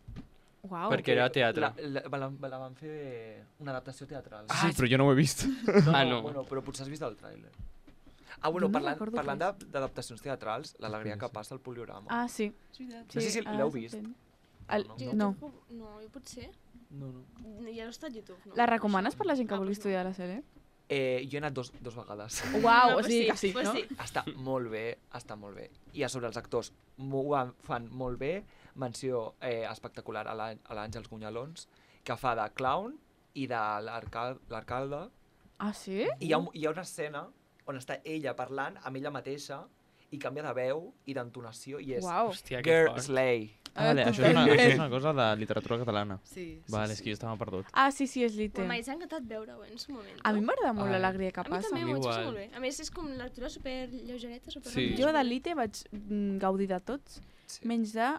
Uau. Perquè era teatre. La van fer una adaptació teatral. Sí, però jo no ho he vist. Ah, no. Bueno, però potser has vist el tràiler. Ah, bueno, Jo no parlant, recordo parlant res. d'adaptacions teatrals, l'alegria que passa al poliorama. Ah, sí. No sé si ara l'heu s'entén. vist. El- No, no. No, jo potser. No, no. Ja no està a YouTube, no? La recomanes per la gent que Ah, vulgui doncs no. estudiar a la sèrie? Jo he anat dos vegades. Uau, No, o pues sigui sí, que sí, pues no? sí. Està molt bé, està molt bé. I a sobre els actors fan molt bé. menció espectacular a l'Àngels Gunyalons, que fa de clown i de l'alcalde. Ah, sí? I hi ha una escena on està ella parlant amb ella mateixa i canvia de veu i d'entonació i és Uau. Hòstia, que Girl fort. Slay. Vale, això és una cosa de literatura catalana. Sí. Vale, és que jo estava perdut. Ah, sí, és lite. M'ha encantat veure-ho en su moment. A mi m'agrada molt Ai. l'alegria que A mi passa. també m'ho vaig passar Igual. molt bé. A més, és com una lectura super lleugereta, super Sí. Jo de l'ITE vaig gaudir de tots, Sí. menys de...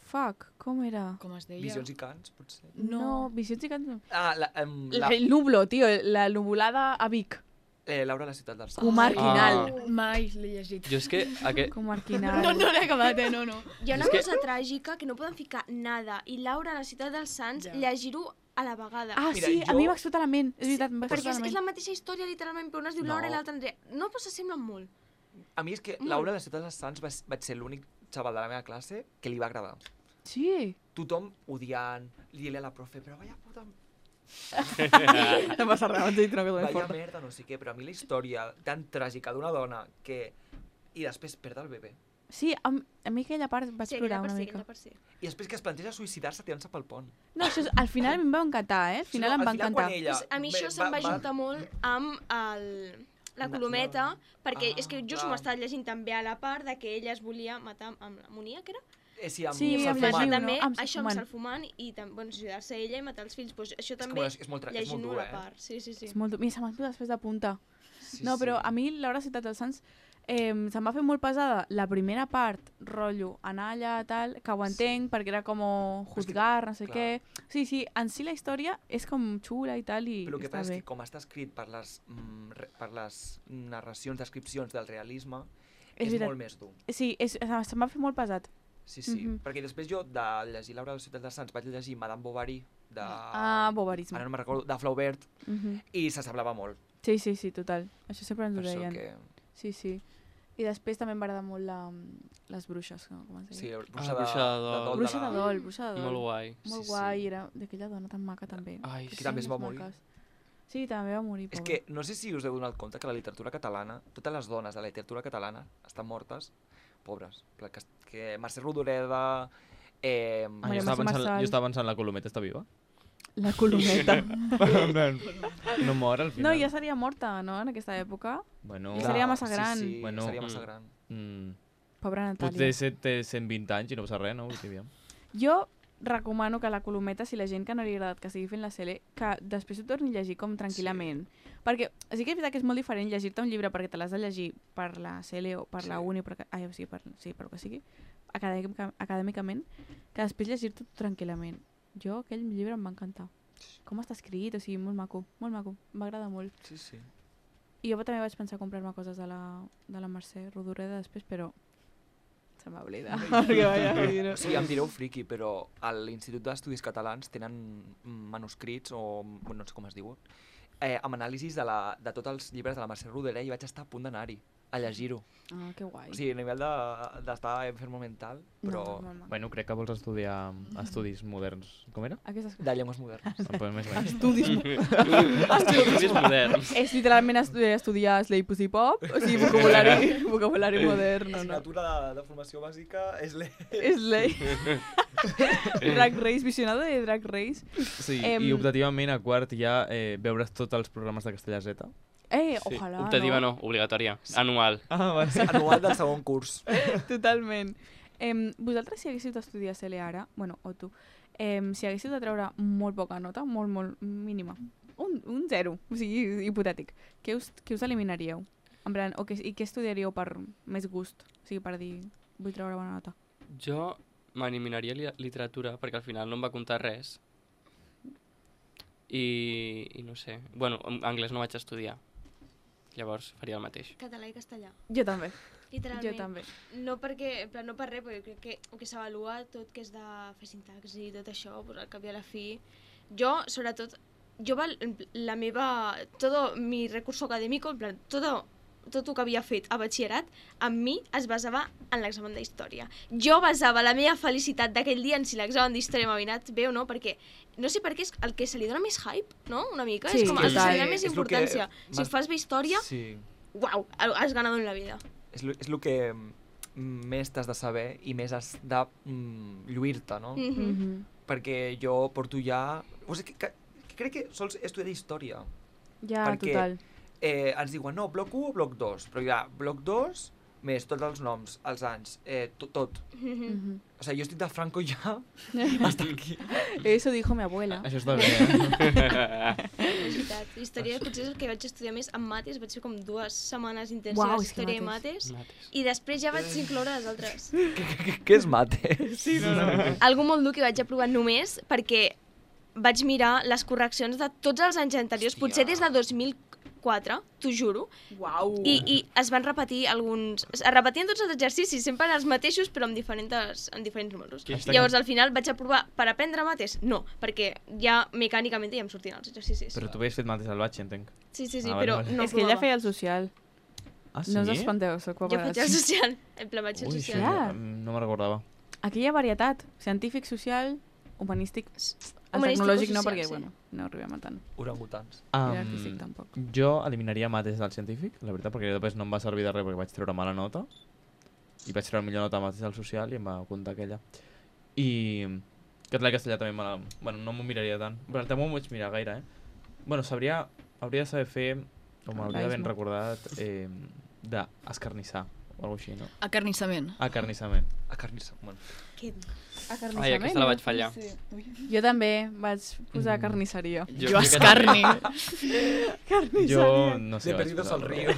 Fuck, com era? Com es deia? Visions i cants, potser. No, Visions i Cants no. Ah, El Nublo, tio, la nuvolada a Vic. Laura, la ciutat dels Sants. Comarquinal. Mai l'he llegit. Jo és que Comarquinal. No l'he acabat, no. Hi ha una És que- cosa tràgica que no poden ficar nada i Laura, a la ciutat dels Sants, Ja. llegir-ho a la vegada. Ah, Mira, sí, a jo- mi m'ha explotat la ment. És veritat, em va Perquè explotar la és ment. la mateixa història, literalment, però una es diu Laura i No. l'altra Andrea. No, però s'assemblen molt. A mi és que Laura, la ciutat dels Sants, vaig ser l'únic xaval de la meva classe que li va agradar. Sí. Tothom odiant, dient-li a la profe, però vaya puta... No passa res, vaig dir que no Vaya merda, no sé què, però a mi la història tan tràgica d'una dona que... I després perd el bebè. Sí, a mi aquella part vaig Sí, plorar aquella una per sí, mica. aquella per sí. I després que es planteja suïcidar-se tirant-se pel pont. No, això és, al final a mi em va encantar, Al final em va encantar. Quan ella A mi això se'm va juntar molt amb la colometa, perquè és que just clar. m'ho estava llegint també a la part de que ella es volia matar amb l'amonia, que era? Sí, amb Sí, I amb salfumant. llegir, també no? Amb això amb salfumant. salfumant i bueno, suïcidar-se ella i matar els fills. Pues això És també com és molt llegint-ho dur, a la part. Sí. És molt dur. Mira, se m'ha explotat després de punta. Sí, No, però sí. a mi l'Hora Ciutat dels Sants se'm va fer molt pesada la primera part, rotllo, anar allà, tal, que ho entenc, perquè era com juzgar, no sé clar. què. Sí, en si la història és com xula i tal, i Però el que està passa és bé. que com està escrit per les narracions, descripcions del realisme, És és veritat. molt més dur. Sí, se'm va fer molt pesat. Sí, sí. Mhm. Perquè després jo, de llegir Laura de la ciutat dels Sants, vaig llegir Madame Bovary, de... Bovarisme. Ara no me'n recordo, de Flaubert, Mhm. i s'assemblava molt. Sí, total. Això sempre ens ho Per això deien. que... Sí. I després també em va agradar molt les bruixes, com es Sí, deia. Bruixa Bruixa de Dol. Bruixa de Dol, Bruixa de Dol. Molt guai. Molt Sí, guai, sí. era d'aquella dona tan maca també. Ai, Que també es va morir. Sí, també va morir, És pobra. que no sé si us heu donat compte que la literatura catalana, totes les dones de la literatura catalana estan mortes, pobres. Que Mercè Rodoreda... Ah, Maria jo Mercè Marçal. jo estava pensant, la Colometa està viva? La colometa. No mor al No, final. ja seria morta, no?, en aquesta època. Bueno, I seria massa gran. Sí, Bueno, seria massa gran. Pobra Natàlia. potser té 120 anys i no passa res, no? Vull dir, aviam. Jo recomano que la colometa, si la gent que no li ha agradat que estigui fent la sele, que després ho torni a llegir com tranquil·lament. Perquè sí que és veritat que és molt diferent llegir-te un llibre perquè te l'has de llegir per la sele o per la uni, per el que sigui, acadèmicament, que després llegir-te tranquil·lament. Jo, aquell llibre em va encantar. Com està escrit, o sigui, molt maco, em va agradar molt. Sí, sí. I jo també vaig pensar comprar-me coses de la Mercè Rodoreda després, però se m'ha oblidat. O sigui, em direu friqui, però a l'Institut d'Estudis Catalans tenen manuscrits, o no sé com es diu, amb anàlisis de tots els llibres de la Mercè Rodoreda i vaig estar a punt d'anar-hi, a llegir-ho. Ah, que guai. O sigui, a nivell d'estar enfermo mental, però No, molt maco. Bueno, crec que vols estudiar estudis moderns. Com era? Aquestes coses. de llengües modernes. Més o menys. Estudis moderns. És literalment estudiar Slay Pussy Pop, o sigui, vocabulari modern, no. L'assignatura de formació bàsica és Slay. Drag Race, visionado de Drag Race. Sí, Em- i optativament a quart ja veure's tots els programes de Castellà Z. Ojalà, Optativa no, obligatòria. Anual. Ah, va ser. anual del segon curs. Totalment. Vosaltres, si haguéssiu d'estudiar CL ara, bueno, o tu, si haguéssiu de treure molt poca nota, molt mínima, un 0, o sigui, hipotètic, què us eliminaríeu? En plan, i què estudiaríeu per més gust? O sigui, per dir, vull treure bona nota. Jo m'eliminaria literatura perquè al final no em va comptar res. I no sé. Bueno, anglès no vaig estudiar. Llavors faria el mateix. Català i castellà. Jo també. Literalment. Jo també. No perquè, en plan, no per res, perquè crec que el que s'avalua tot que és de fer sintaxi i tot això, pues, al cap i a la fi. Jo, sobretot, la meva, todo mi recurso académico, en plan, tot el que havia fet a batxillerat, amb mi es basava en l'examen d'història. Jo basava la meva felicitat d'aquell dia en si l'examen d'història m'havia anat bé o no, perquè no sé per què és el que se li dona més hype, no? Una mica, Sí, és com el que se li total. dona més És lo que importància. Si m'has- fas bé història, Sí. uau, has ganado en la vida. És el que més t'has de saber i més has de lluir-te, no? Perquè jo porto ja... O sigui, que crec que sols he estudiat història. Ja, perquè, total. Ens diuen, no, bloc 1 o bloc 2, però hi ha bloc 2 més tots els noms, els anys, tot. O sigui, jo estic de Franco ja hasta aquí. Eso dijo mi abuela. Això està bé, eh? És veritat. Història potser és el que vaig estudiar més amb mates, vaig fer com 2 setmanes intensives Uau, és que d'història i mates, i després ja vaig incloure les altres. Què és mate? Sí, no. Algo molt dur que vaig aprovar només perquè vaig mirar les correccions de tots els anys anteriors, potser des de 2004, t'ho juro, Uau. i es van repetir alguns... Es repetien tots els exercicis, sempre els mateixos, però amb diferents números. Llavors, al final, vaig aprovar per aprendre mates? No, perquè ja mecànicament ja em sortien els exercicis. Però tu havies fet mates al batx, entenc. Sí, Ah, però vale. no És que ella aprovava. feia el social. Ah, sí? No us espanteu, soc Jo faig el paparazzi. social, en plan vaig al Ui, social. Ja. no me'n recordava. Aquí hi ha varietat. Científic, social, humanístic... El Humanístic o tecnològic no, social, perquè, sí. bueno, no arribem a tant. Orangutans. I l'artístic tampoc. Jo eliminaria mates del científic, la veritat, perquè després no em va servir de res perquè vaig treure mala nota. I vaig treure millor nota a mates del social i em va comptar aquella. I català i castellà també bueno, no m'ho miraria tant. Però també m'ho vaig mirar gaire, Bueno, hauria de saber fer, o m'hauria d'haver recordat, d'escarnissar, o alguna així, no? Acarnissament. Acarnissament. Bueno. Ai, aquesta la vaig fallar. Jo també vaig posar carnisseria. Jo escarni. Jo no sé. De perdidos al río.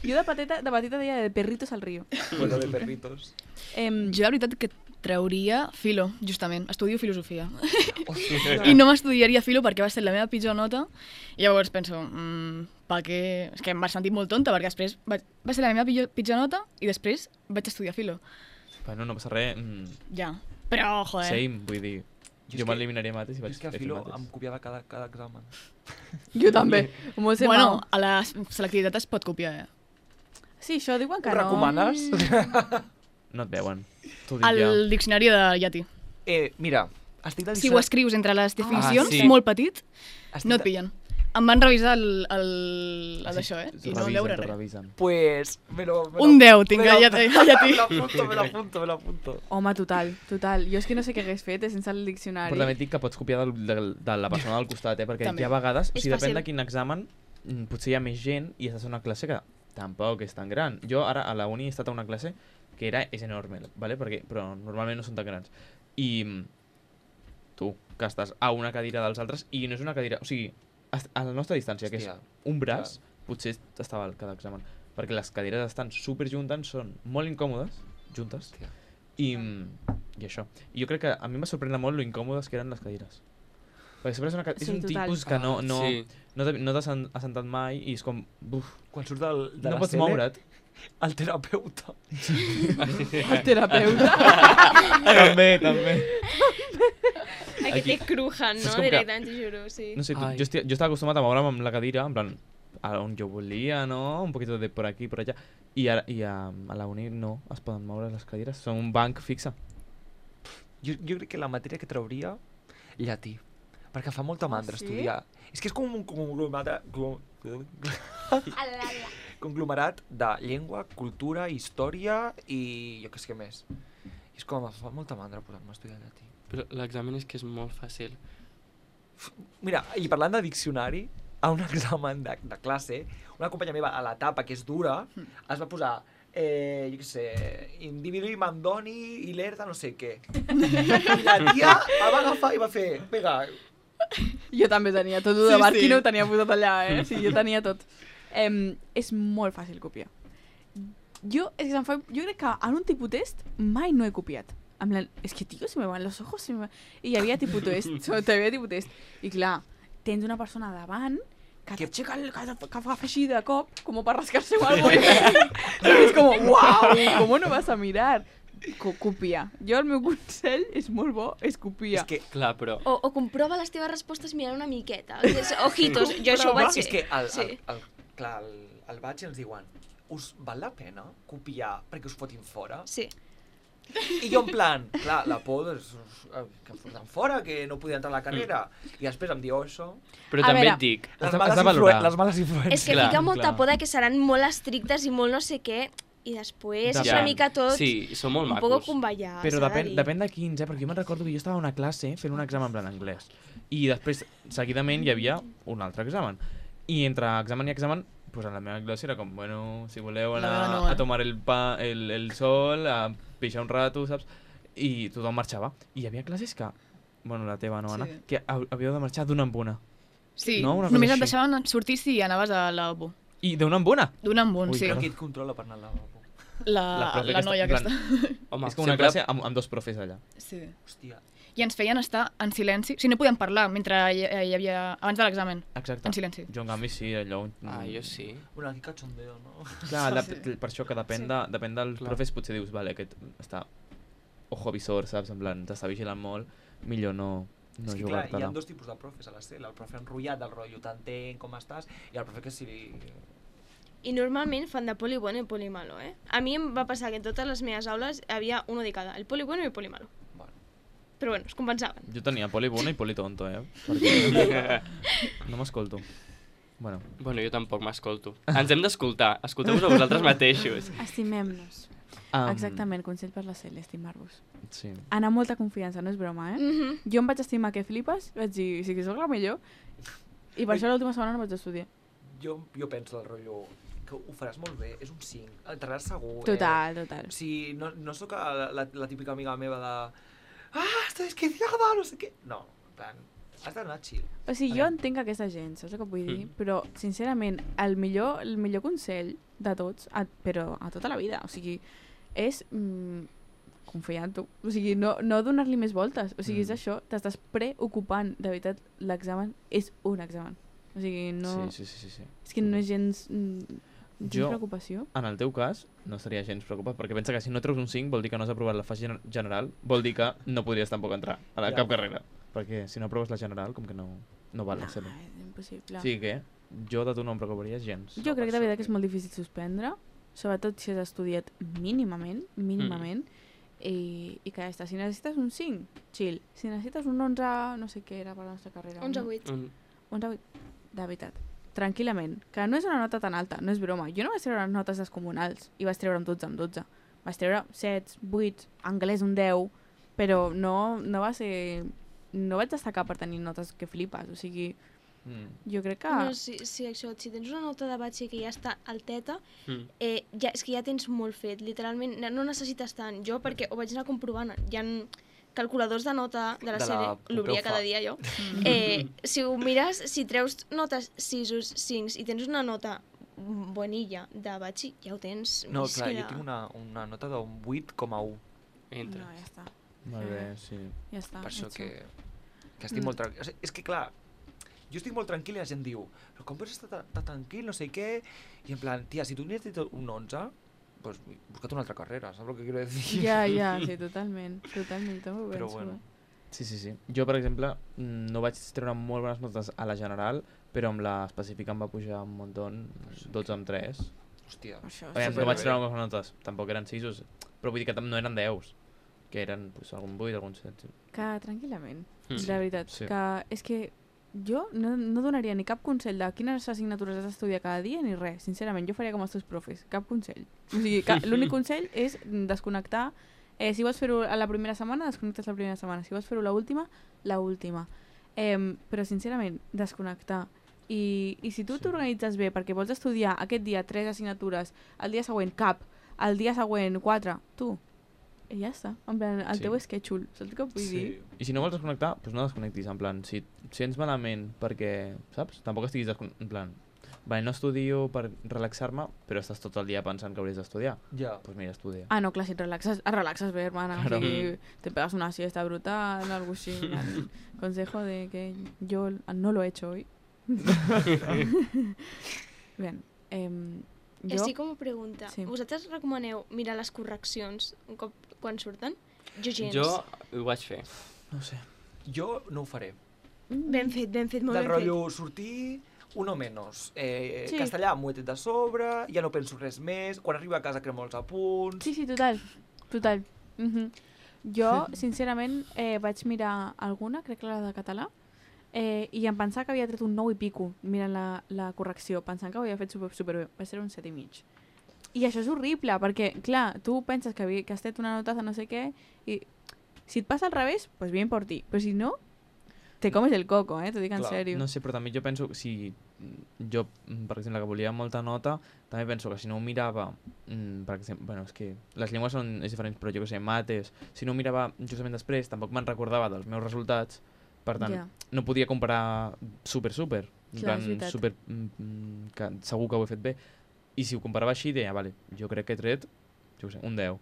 Jo de petita deia de perritos al río. Bueno, de perritos. Jo la veritat que trauria filo, justament. Estudio filosofia. Hòstia. I no m'estudiaria filo perquè va ser la meva pitjor nota. I llavors penso, per què? És que em vaig sentir molt tonta perquè després va ser la meva pitjor nota i després vaig estudiar filo. Bueno, no passa res. Ja. Però, joder. Same, vull dir. Jo Jo és m'eliminaria mates i Jo vaig és que a fer filo mates. em copiava cada examen. Jo també. M'ho sé Bueno, mal. a la selectivitat es pot copiar, Sí, això diuen que Ho no. recomanes? No et veuen. T'ho dic ja. El diccionari de llatí. Mira, estic de Si ho escrius entre les definicions, sí. molt petit, estic no et pillen. Em van revisar el d'això, I no vam veure res. Revisen. Pues... Un 10 tinc a llatí. Me l'apunto. Home, total. Jo és que no sé què hagués fet sense el diccionari. Però també et dic que pots copiar de la persona del costat, perquè També. hi ha vegades, o És sigui, depèn fàcil. de quin examen, potser hi ha més gent i estàs en una classe que tampoc és tan gran. Jo ara a la uni he estat a una classe que és enorme, ¿vale? Però normalment no són tan grans. I tu, que estàs a una cadira dels altres, i no és una cadira... O sigui, a la nostra distància, que és Hòstia, un braç, potser estava al cada examen. Perquè les cadires estan super juntes, són molt incòmodes, juntes, Hòstia. i això. I jo crec que a mi em va sorprendre molt lo incòmodes que eren les cadires. Perquè sempre és Sí, un total. tipus que no Sí. t'has assentat mai i és com... Buf, Quan surt de no la pots cele, moure't. el terapeuta. El terapeuta. també. Aquest Aquí- té crujan, És no? com que- Directament, t'ho juro, sí. No sé, Ai. jo estava acostumat a moure'm amb la cadira, en plan, a on jo volia, no? Un poquito de por aquí, por allá. I a la uni no es poden moure les cadires, són un banc fixe. Jo crec que la matèria que trauria, llatí. Perquè fa molta mandra sí? estudiar. És que és com un conglomerat de llengua, cultura, història i jo què sé què més. I és com, fa molta mandra posar-me a estudiar llatí. Però l'examen és que és molt fàcil. Mira, i parlant de diccionari, a un examen de classe, una companya meva a l'etapa, que és dura, es va posar, jo què sé, individu mandoni i lerda no sé què. I la tia el va agafar i va fer, vinga, Jo també tenia tot de Barquino, ho tenia posat allà, Sí, jo tenia tot. És molt fàcil copiar. Jo crec que en un tipus test mai no he copiat. És que, tio, se me van los ojos. I hi havia tipus test. I clar, tens una persona davant que t'aixeca que fa així de cop, com per rascar-se o algo. I és com, uau, com no vas a mirar? Copiar. Jo el meu consell és molt bo, és copiar. és que Clar, però... O comprova les teves respostes mirant una miqueta. Ojitos, jo això ho vaig fer. és que Sí. clar, al batx ens diuen, us val la pena copiar perquè us fotin fora? Sí. I jo en plan, clar, la por que em foten fora, que no podia entrar a la carrera. I després em diu això. Però A també veure, et dic, Has de valorar. Les males influències. És que Clar, fica molta clar. por de que seran molt estrictes i molt no sé què. i després és Depèn. una mica tot Sí, són molt un poc macos. convallar. Però s'ha de dir. depèn de quins, perquè jo me'n recordo que jo estava a una classe fent un examen en plan anglès. I després, seguidament, hi havia un altre examen. I entre examen i examen, pues a la meva classe era com, bueno, si voleu La meva anar no, a tomar el sol, a pixar un rato, saps? I tothom marxava. I hi havia classes que, bueno, la teva no, Anna, Sí. que havíeu de marxar d'una en una. Sí, No? Una cosa només et així. deixaven sortir si anaves a lavabo. I d'una en una? D'un en un, Ui, sí. Però qui et controla per anar al lavabo? La profe noia en plan, aquesta. Home, és com una sempre- classe amb dos profes allà. Sí. Hòstia. I ens feien estar en silenci. O sigui, no podíem parlar mentre hi havia... abans de l'examen. Exacte. En silenci. Jo, en canvi, sí, allò... Ah, jo sí. Bueno, aquí cachondeo, no? Clar, per això que depèn, depèn dels Clar. profes, potser dius, vale, aquest està ojo visor, saps? En plan, t'està vigilant molt, millor no És que clar, hi jugar-te-la. ha dos tipus de profes a la CEL. El profe enrotllat, del rotllo, t'entenc com estàs, i el profe que si... I normalment fan de poli bueno i poli malo, eh? A mi em va passar que en totes les meves aules hi havia uno de cada, el poli bueno i el poli malo. Bueno. Però bueno, es compensaven. Jo tenia poli bueno i poli tonto, Perquè no m'escolto. Bueno, Bueno, jo tampoc m'escolto. Ens hem d'escoltar. Escolteu-vos a vosaltres mateixos. Estimem-nos. Exactament, consell per la Cel, estimar-vos. Sí. Anar amb molta confiança, no és broma, Jo em vaig estimar que flipes, vaig dir, sí que sóc la millor, i per això l'última setmana no vaig estudiar. Jo penso del rotllo que ho faràs molt bé, és un 5, entraràs segur. Total, total. O sigui, no sóc la típica amiga meva de estoy desquiciada, no sé què. No, en plan, has d'anar chill. O sigui, jo entenc aquesta gent, saps el que vull dir? Però, sincerament, el millor consell de tots, però a tota la vida, o sigui, és confiar en tu. O sigui, no donar-li més voltes. O sigui, és això, t'estàs preocupant. De veritat, l'examen és un examen. O sigui, no... Sí. És que no és gens preocupació. En el teu cas, no estaria gens preocupat, perquè pensa que si no treus un 5 vol dir que no has aprovat la fase general, vol dir que no podries tampoc entrar a Ja. cap carrera. Perquè si no aproves la general, com que no val la No, ser-ho. és impossible. O sigui que jo de tu no em preocuparia gens. Jo crec de veritat que és molt difícil suspendre, sobretot si has estudiat mínimament, i que ja està. Si necessites un 5, chill. Si necessites un 11, no sé què era per la nostra carrera. 11-8. 11-8, de veritat. Tranquil·lament. Que no és una nota tan alta, no és broma. Jo no vaig treure notes descomunals i vaig treure amb 12. Vaig treure 7, 8, anglès un 10, però no va ser... No vaig destacar per tenir notes que flipes, o sigui... Jo crec que... No, si tens una nota de batxi que ja està alteta, és que ja tens molt fet, literalment, no necessites tant. Jo, perquè ho vaig anar comprovant, hi ha calculadors de nota de la sèrie, l'obria cada dia jo. Si ho mires, si treus notes 6, 5 i tens una nota bonilla de batxi, ja ho tens. No, És clar, que jo tinc una nota d'un 8,1. Entres. No, ja està. Molt bé, sí. Ja està. Per això que estic molt tranquil. O sigui, és que clar, jo estic molt tranquil i la gent diu, però com pots estar tan tranquil, no sé què? I en plan, tia, si tu necessites un 11, pues busca't una altra carrera, saps el que quiero decir? Ja, sí, totalment, jo també ho Però penso. bueno. Sí. Jo, per exemple, no vaig treure molt bones notes a la general, però amb la específica em va pujar un munt, 12 amb 3. Hòstia. Això, No superbé. vaig treure bones notes, tampoc eren 6, però vull dir que no eren 10, que eren pues, algun 8, algun 7. que tranquil·lament, Sí. de veritat, Sí. que és que jo no donaria ni cap consell de quines assignatures has d'estudiar cada dia ni res, sincerament, jo faria com els teus profes, cap consell. O sigui, l'únic consell és desconnectar. Si vols fer-ho a la primera setmana, desconnectes la primera setmana. Si vols fer-ho l'última, l'última. Però, sincerament, desconnectar. I si tu t'organitzes bé perquè vols estudiar aquest dia 3 assignatures, el dia següent cap, el dia següent 4, tu, i ja està. En plan, el teu schedule, saps què vull dir? I si no vols desconnectar, doncs no desconnectis, en plan, si et sents malament perquè, saps? Tampoc estiguis en plan, vale, no estudio per relaxar-me, però estàs tot el dia pensant que hauries d'estudiar. Ja. Doncs mira, estudia. Ah, no, clar, si et relaxes bé, hermana. Claro. O sigui, te pegas una siesta brutal, algo así. El consejo de que yo no lo he hecho hoy. Bien. Jo... Estic com a pregunta. Sí. Vosaltres recomaneu mirar les correccions un cop quan surten? Jo gens. Jo ho vaig fer. No ho sé. Jo no ho faré. Ben fet, molt Del ben rotllo sortir, uno menos. Sí. Castellà m'ho he tret de sobre, ja no penso res més, quan arribo a casa cremo els apunts... Sí, total. Jo, sincerament, vaig mirar alguna, crec que la de català, i em pensava que havia tret un 9 i pico mirant la correcció, pensant que ho havia fet superbé. Va ser un 7,5. I això és horrible, perquè, clar, tu penses que has tret una notaza no sé què, i si et passa al revés, pues bien por ti. Però si no, te comes el coco, t'ho dic en Clar. sèrio. No sé, però també jo penso que si jo, per exemple, que volia molta nota, també penso que si no ho mirava, per exemple, bueno, és que les llengües són diferents, però jo que sé, mates, si no ho mirava justament després, tampoc me'n recordava dels meus resultats, per tant, Ja. no podia comparar super, en Clar, és plan, veritat. super, que segur que ho he fet bé. I si ho comparava així, deia, vale, jo crec que he tret, jo què sé, un 10.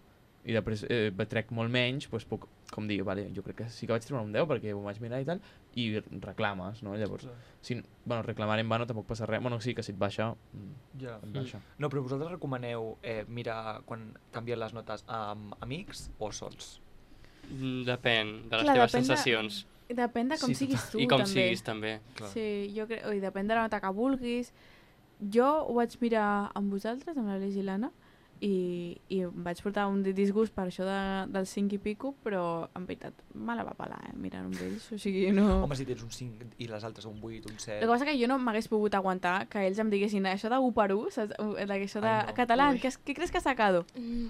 I després trec molt menys, doncs puc, com dir, vale, jo crec que sí que vaig treure un 10 perquè ho vaig mirar i tal, i reclames, no? Llavors, si, bueno, reclamar en vano tampoc passa res. Bueno, sí, que si et baixa, Ja. et baixa. No, però vosaltres recomaneu mirar quan canvien les notes amb amics o sols? Depèn de les Clar, teves depèn de- sensacions. Depèn de com Sí, siguis tu, I com també. siguis, també. Clar. Sí, jo crec, i depèn de la nota que vulguis. Jo ho vaig mirar amb vosaltres, amb l'Aleix i l'Anna, i em vaig portar un disgust per això del 5 i pico, però en veritat me la va pelar, mirant amb ells, o sigui, no... Home, si tens un 5 i les altres un 8, un 7... El que passa que jo no m'hagués pogut aguantar que ells em diguessin això de 1 per 1, saps? Això de Ai, no. català, Ui. ¿qué crees que has sacado?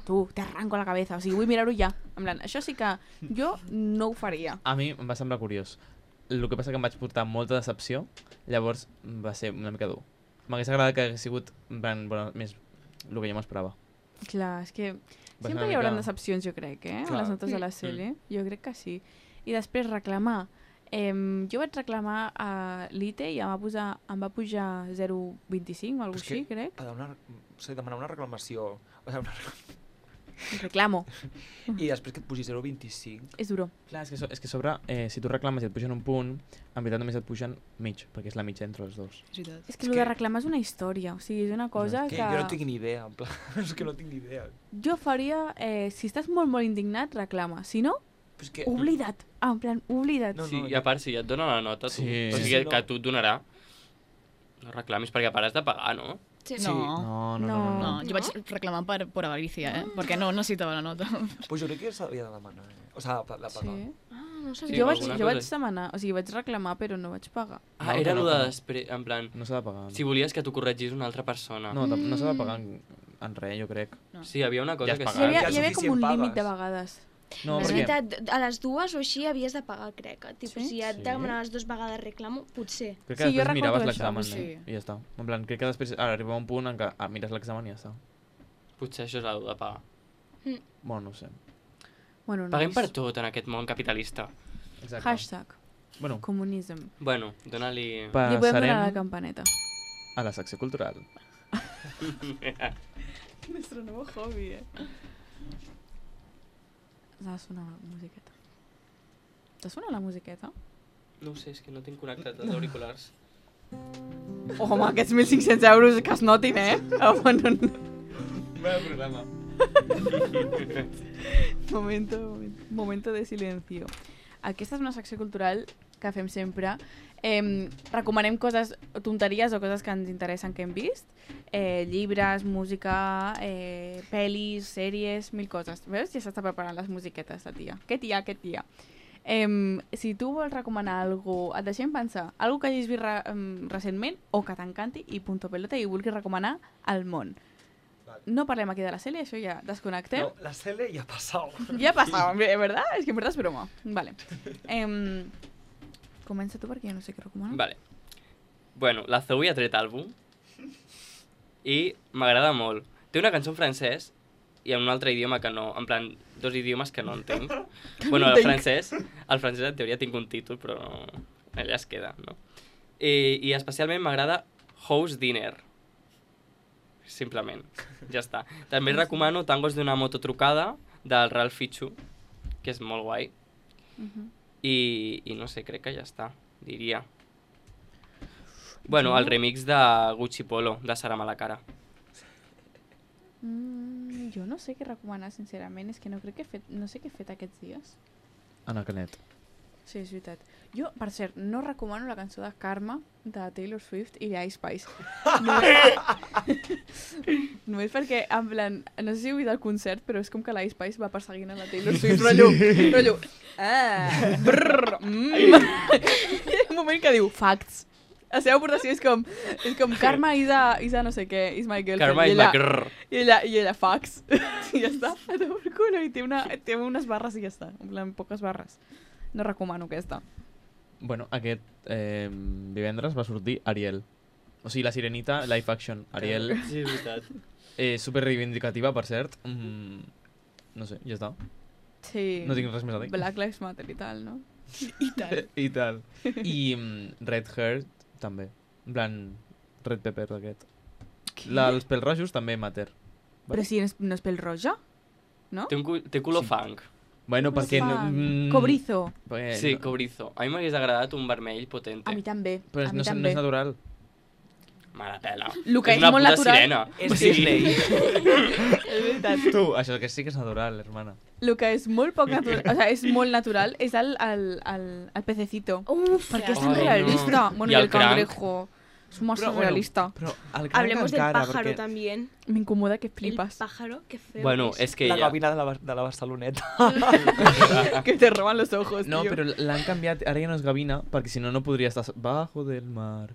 Tu, te arranco la cabeza, o sigui, vull mirar-ho ja. En plan, això sí que jo no ho faria. A mi em va semblar curiós. El que passa que em vaig portar molta decepció, llavors va ser una mica dur. M'hagués agradat que hagués sigut en plan, bueno, més el que jo m'esperava. Clar, és que Va ser sempre una hi haurà mica- decepcions, jo crec, amb Clar. les notes de la sèrie. Jo crec que sí. I després reclamar. Jo vaig reclamar a l'ITE i em va pujar 0,25 o alguna Però és així, que- crec. Demanar una reclamació o sigui, Reclamo. i després que et pugi 0,25... És duro. Clar, és que a sobre, si tu reclames i et pugen un punt, en veritat només et pugen mig, perquè és la mitja entre els dos. És veritat. És que el de reclamar és una història. O sigui, és una cosa Que que... jo no tinc ni idea, en plan, és que no tinc ni idea. Jo faria... si estàs molt, molt indignat, reclama. Si no, Però és que... oblida't. En plan, oblida't. No, Sí, i a part, si ja et dona la nota, tu, Sí. o sigui, Sí, no. que tu et donarà, no reclamis, perquè a part has de pagar, no? Sí. Sí. No. No, jo vaig reclamar per avaricia, perquè no necessitava la nota. Pues jo crec que s'havia de demanar, O sigui, de pagar. Sí. Ah, no Sí, sabia. Jo alguna vaig cosa. demanar, o sigui, vaig reclamar, però no vaig pagar. Ah, No, era no, el de no. després, en plan, No s'ha de pagar. si volies que t'ho corregís una altra persona. No, no s'ha de pagar en res, jo crec. Sí, hi havia una cosa Ja has que pagat. Hi havia, ja hi havia com un suficient límit de pagues. vegades. No, És perquè... veritat, a les dues o així havies de pagar, crec. Tipo, Sí? si et Sí. demanaves 2 vegades reclamo, potser. Crec que Sí, jo després miraves recordo això, l'examen sí. i ja està. En plan, crec que després arriba un punt en què mires l'examen i ja està. Potser això és el de pagar. Bueno, no ho sé. Bueno, Paguem nois. per tot en aquest món capitalista. Exacte. Hashtag Bueno, comunism. Bueno, dona-li... I podem donar la passarem campaneta. a la secció cultural. Nuestro nuevo hobby, S'ha de sonar la musiqueta. T'ha sonat la musiqueta? No ho sé, és que no tinc connectat els auriculars. Home, aquests 1.500 euros que es notin, Bueno, programa. Momento de silencio. Aquesta és una secció cultural que fem sempre. Recomanem coses, tonteries o coses que ens interessen que hem vist. Llibres, música, pel·lis, sèries, mil coses. Veus? Ja s'està preparant les musiquetes, la tia. Què tia? Si tu vols recomanar alguna cosa, et deixem pensar, alguna que hagis vist recentment o que t'encanti i punto pelota i vulguis recomanar al món. Vale. No parlem aquí de la sèrie, això ja desconnectem. No, la Cele ja ha passat. Ya ha pasado, ¿verdad? Es que en verdad es broma. Vale. Comença tu perquè jo no sé què recomanar. Vale. Bueno, la Zoe ha tret àlbum i m'agrada molt. Té una cançó en francès i en un altre idioma que no, en plan, 2 idiomes que no entenc. Bueno, el francès en teoria tinc un títol, però no, allà es queda, no? I especialment m'agrada House Dinner. Simplement, ja està. També recomano Tangos d'una moto trucada del Ralph Fichu, que és molt guai. I no sé, crec que ja està, diria. Bueno, el remix de Gucci Polo, de Sara Malacara. Jo no sé què recomanar, sincerament. És que no crec que no sé què he fet aquests dies. Ana Canet. Sí, és veritat. Jo, per cert, no recomano la cançó de Karma de Taylor Swift i Ice Spice. Només perquè, en plan, no sé si heu vist el concert, però és com que l'Ice Spice va perseguint a la Taylor Swift, rotllo, un moment que diu facts, La seva aportació és com Karma is a no sé què, is my girlfriend. Karma I is ella- my grrr. I ella fax. I ja està. A tomar per culo. I té unes barres i ja està. En plan, poques barres. No recomano aquesta. Bueno, aquest divendres va sortir Ariel. O sigui, la Sirenita, live action. Ariel, Sí, és veritat. super reivindicativa, per cert. No sé, ja està. Sí. No tinc res més a dir. Black Lives Matter i tal, no? I tal. I tal. I Red Hair, també. En plan, Red Pepper, aquest. Els pèls rojos també matter. Però si no és pèl roja? No? Té color Sí. fang. Bueno, perquè... Cobrizo. Sí, cobrizo. A mi m'hagués agradat un vermell potente. A mi també. Però a mi no, no també. és natural. Mala pela. Lo que és una molt puta natural- sirena. És Disney. És veritat. Tu, això que sí que és natural, hermana. Lo que és molt poc natural, o sea, és molt natural, és el pececito. Uf, Perquè és Ai, tan no. realista. Bueno, I i el el cranc. cangrejo. És massa realista. Però el cranc Hablemos del encara, pájaro perquè... también. M'incomoda que El flipas. pájaro, qué feo Bueno, es. és que La ella... gavina de la Barceloneta. Que te roban los ojos, No, tío. però l'han canviat, ara ja no és gavina, perquè si no, no podria estar bajo del mar.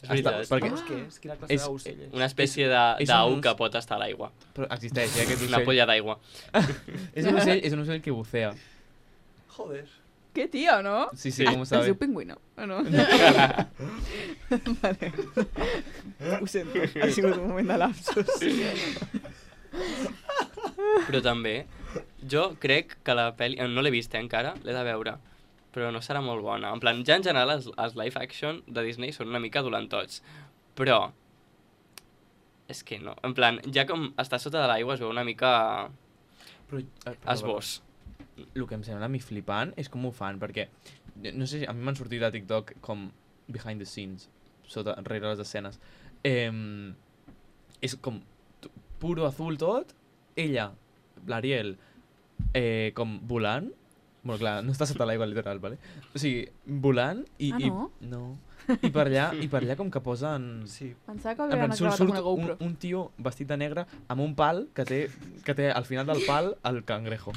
És veritat. perquè Què és? Quina classe És- d'ocell és? Una espècie és d'au un- que pot estar a l'aigua. Però existeix, aquest Una ocell. polla d'aigua. És un ocell que bucea. Joder. Qué tío, ¿no? Sí, sí, com ho Es sabe. diu pingüino, o no? Vale. Ho sento, ha sigut un moment de lapsus. Però també, jo crec que la pel·li... No l'he vist encara, l'he de veure. Però no serà molt bona. En plan, ja en general els live action de Disney són una mica dolentots. Però... És que no. En plan, ja com està sota de l'aigua es veu una mica Però, esbós. El que em sembla a mi flipant és com ho fan, perquè no sé, a mi m'han sortit a TikTok com behind the scenes, sota, rere les escenes. És com puro azul tot, ella, l'Ariel, com volant, bueno, clar, no està sota l'aigua literal, vale? O sigui, volant i... Ah, no? No. I per allà com que posen... Sí. Pensava que En havien plan, acabat amb una GoPro. un tio vestit de negre amb un pal que té al final del pal el cangrejo.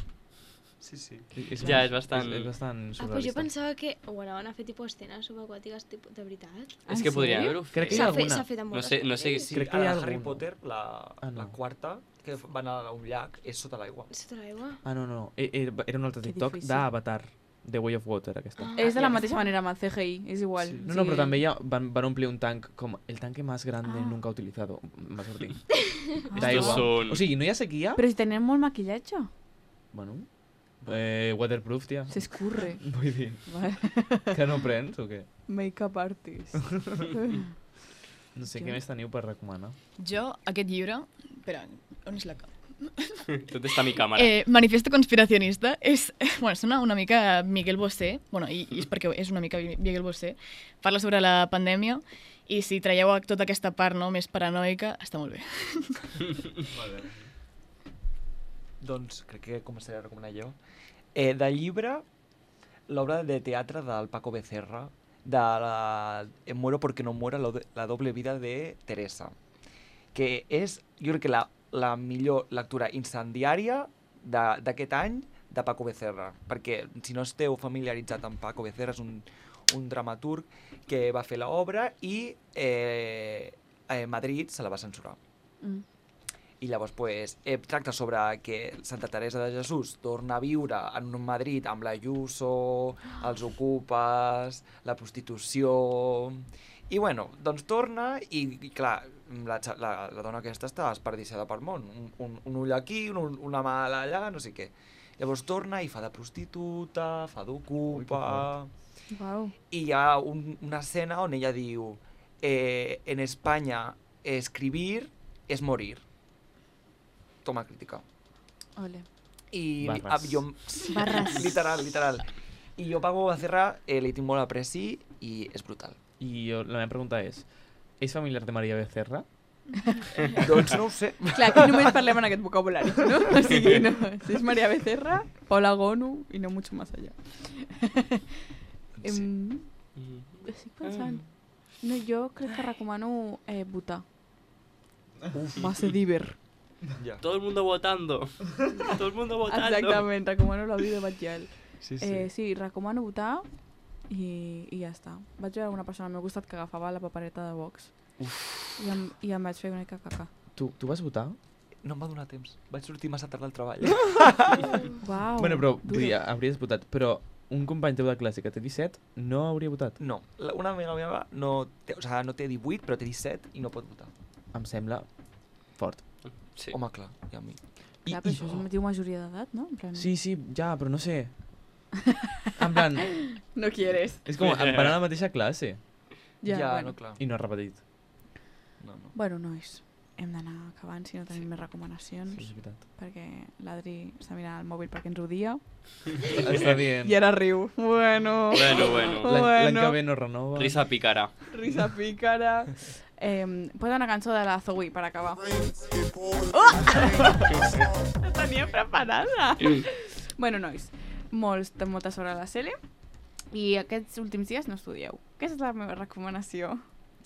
Sí. Ja, és bastant- És bastant Ah, pues jo surrealista. pensava que ho anaven a fer tipus escenes subaquàtiques tipus de veritat. És que podrien sèrio? haver-ho fet. Crec que hi ha alguna. S'ha fet amb No moltes sé, no sé... pel·lis. Sí, Crec que a hi ha la Harry algun. Potter, Ah, no. la quarta, que van a un llac, és sota l'aigua. Sota l'aigua. Ah, no. Era un altre Que TikTok difícil. d'Avatar, The Way of Water, aquesta. Ah. És de la mateixa manera amb el CGI, és igual. Sí. No, però també van omplir un tanc com el tanque más grande Ah. nunca utilizado. Va sortir. Ah. D'aigua. Estos són- O sigui, no hi ha sequia? Però si tenen molt maquillatge, Bueno, waterproof, tia. s'escurre. Vull dir, Vale. que no prens o què? Make-up artist. No sé, què més teniu per recomanar? Jo, aquest llibre... Espera, on és la... Tot està a mi càmera. Manifiesto conspiracionista és, bueno, sona una mica Miguel Bosé, bueno, i és perquè és una mica Miguel Bosé, parla sobre la pandèmia i si traieu tota aquesta part no, més paranoica, està molt bé. Doncs crec que començaré a recomanar jo. De llibre, l'obra de teatre del Paco Becerra, de Muero porque no muera, la doble vida de Teresa, que és, jo crec que la millor lectura incendiària d'aquest any de Paco Becerra, perquè si no esteu familiaritzat amb Paco Becerra, és un dramaturg que va fer l'obra i Madrid se la va censurar. Mm. I llavors pues, tracta sobre que Santa Teresa de Jesús torna a viure en un Madrid amb l'Ayuso, els ocupes, la prostitució... I bueno, doncs torna i clar, la dona aquesta està desperdiciada pel món. Un ull aquí, una mà allà, no sé què. Llavors torna i fa de prostituta, fa d'ocupa... Uau. I hi ha una escena on ella diu en Espanya escribir es morir. Toma crítica. Ole. I Barres. jo, Barres. literal. I jo Paco Becerra li tinc molt apreci i és brutal. I la meva pregunta és familiar de Maria Becerra? Doncs no ho sé. Clar, aquí només parlem en aquest vocabulari, no? O sigui, no. Si és Maria Becerra, Paula Gonu i no mucho más allá. Estic pensant. No, jo crec que recomano votar. Va ser diver. Ja. Todo el mundo votando. Todo el mundo votando. Exactament, recomano la vida de Batllal. Sí, Sí, recomano votar i ja està. Vaig veure una persona al meu costat que agafava la papereta de Vox i em vaig fer una mica caca. Tu vas votar? No em va donar temps. Vaig sortir massa tard del treball. Uau, Bueno, però vull duro. dir, hauries votat, però un company teu de classe que té 17 no hauria votat. No, una amiga meva no té, o sigui, no té 18, però té 17 i no pot votar. Em sembla fort. Sí. Home, clar, i a mi. Clar, però això es diu majoria d'edat, no? En plan... Sí, ja, però no sé. En plan, No quieres. és com, van a la mateixa classe Ja, bueno. no, clar. i no has repetit. No. Bueno, nois, hem d'anar acabant si no tenim més recomanacions, Sí, és veritat. perquè l'Adri està mirant el mòbil perquè ens odia. Està bien. I ara riu. Bueno. Bueno. L'any que ve no renova. Risa picarà. Risa pícara. Posa una cançó de la Zoe per acabar. La tenia preparada. Bueno, nois, molta sort a la Cele i aquests últims dies no estudieu. Aquesta és la meva recomanació.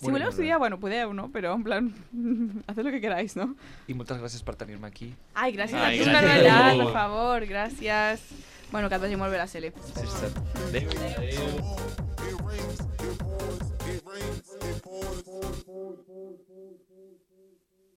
Si Molt voleu bé. estudiar, bueno, podeu, no? Però, en plan, haced lo que queráis, no? I moltes gràcies per tenir-me aquí. Ai, gràcies a Ai, tu, gràcies a Carmellat, tu. per favor, gràcies. Bueno, que et vagi molt bé la Cele. Sí, sí. Adéu.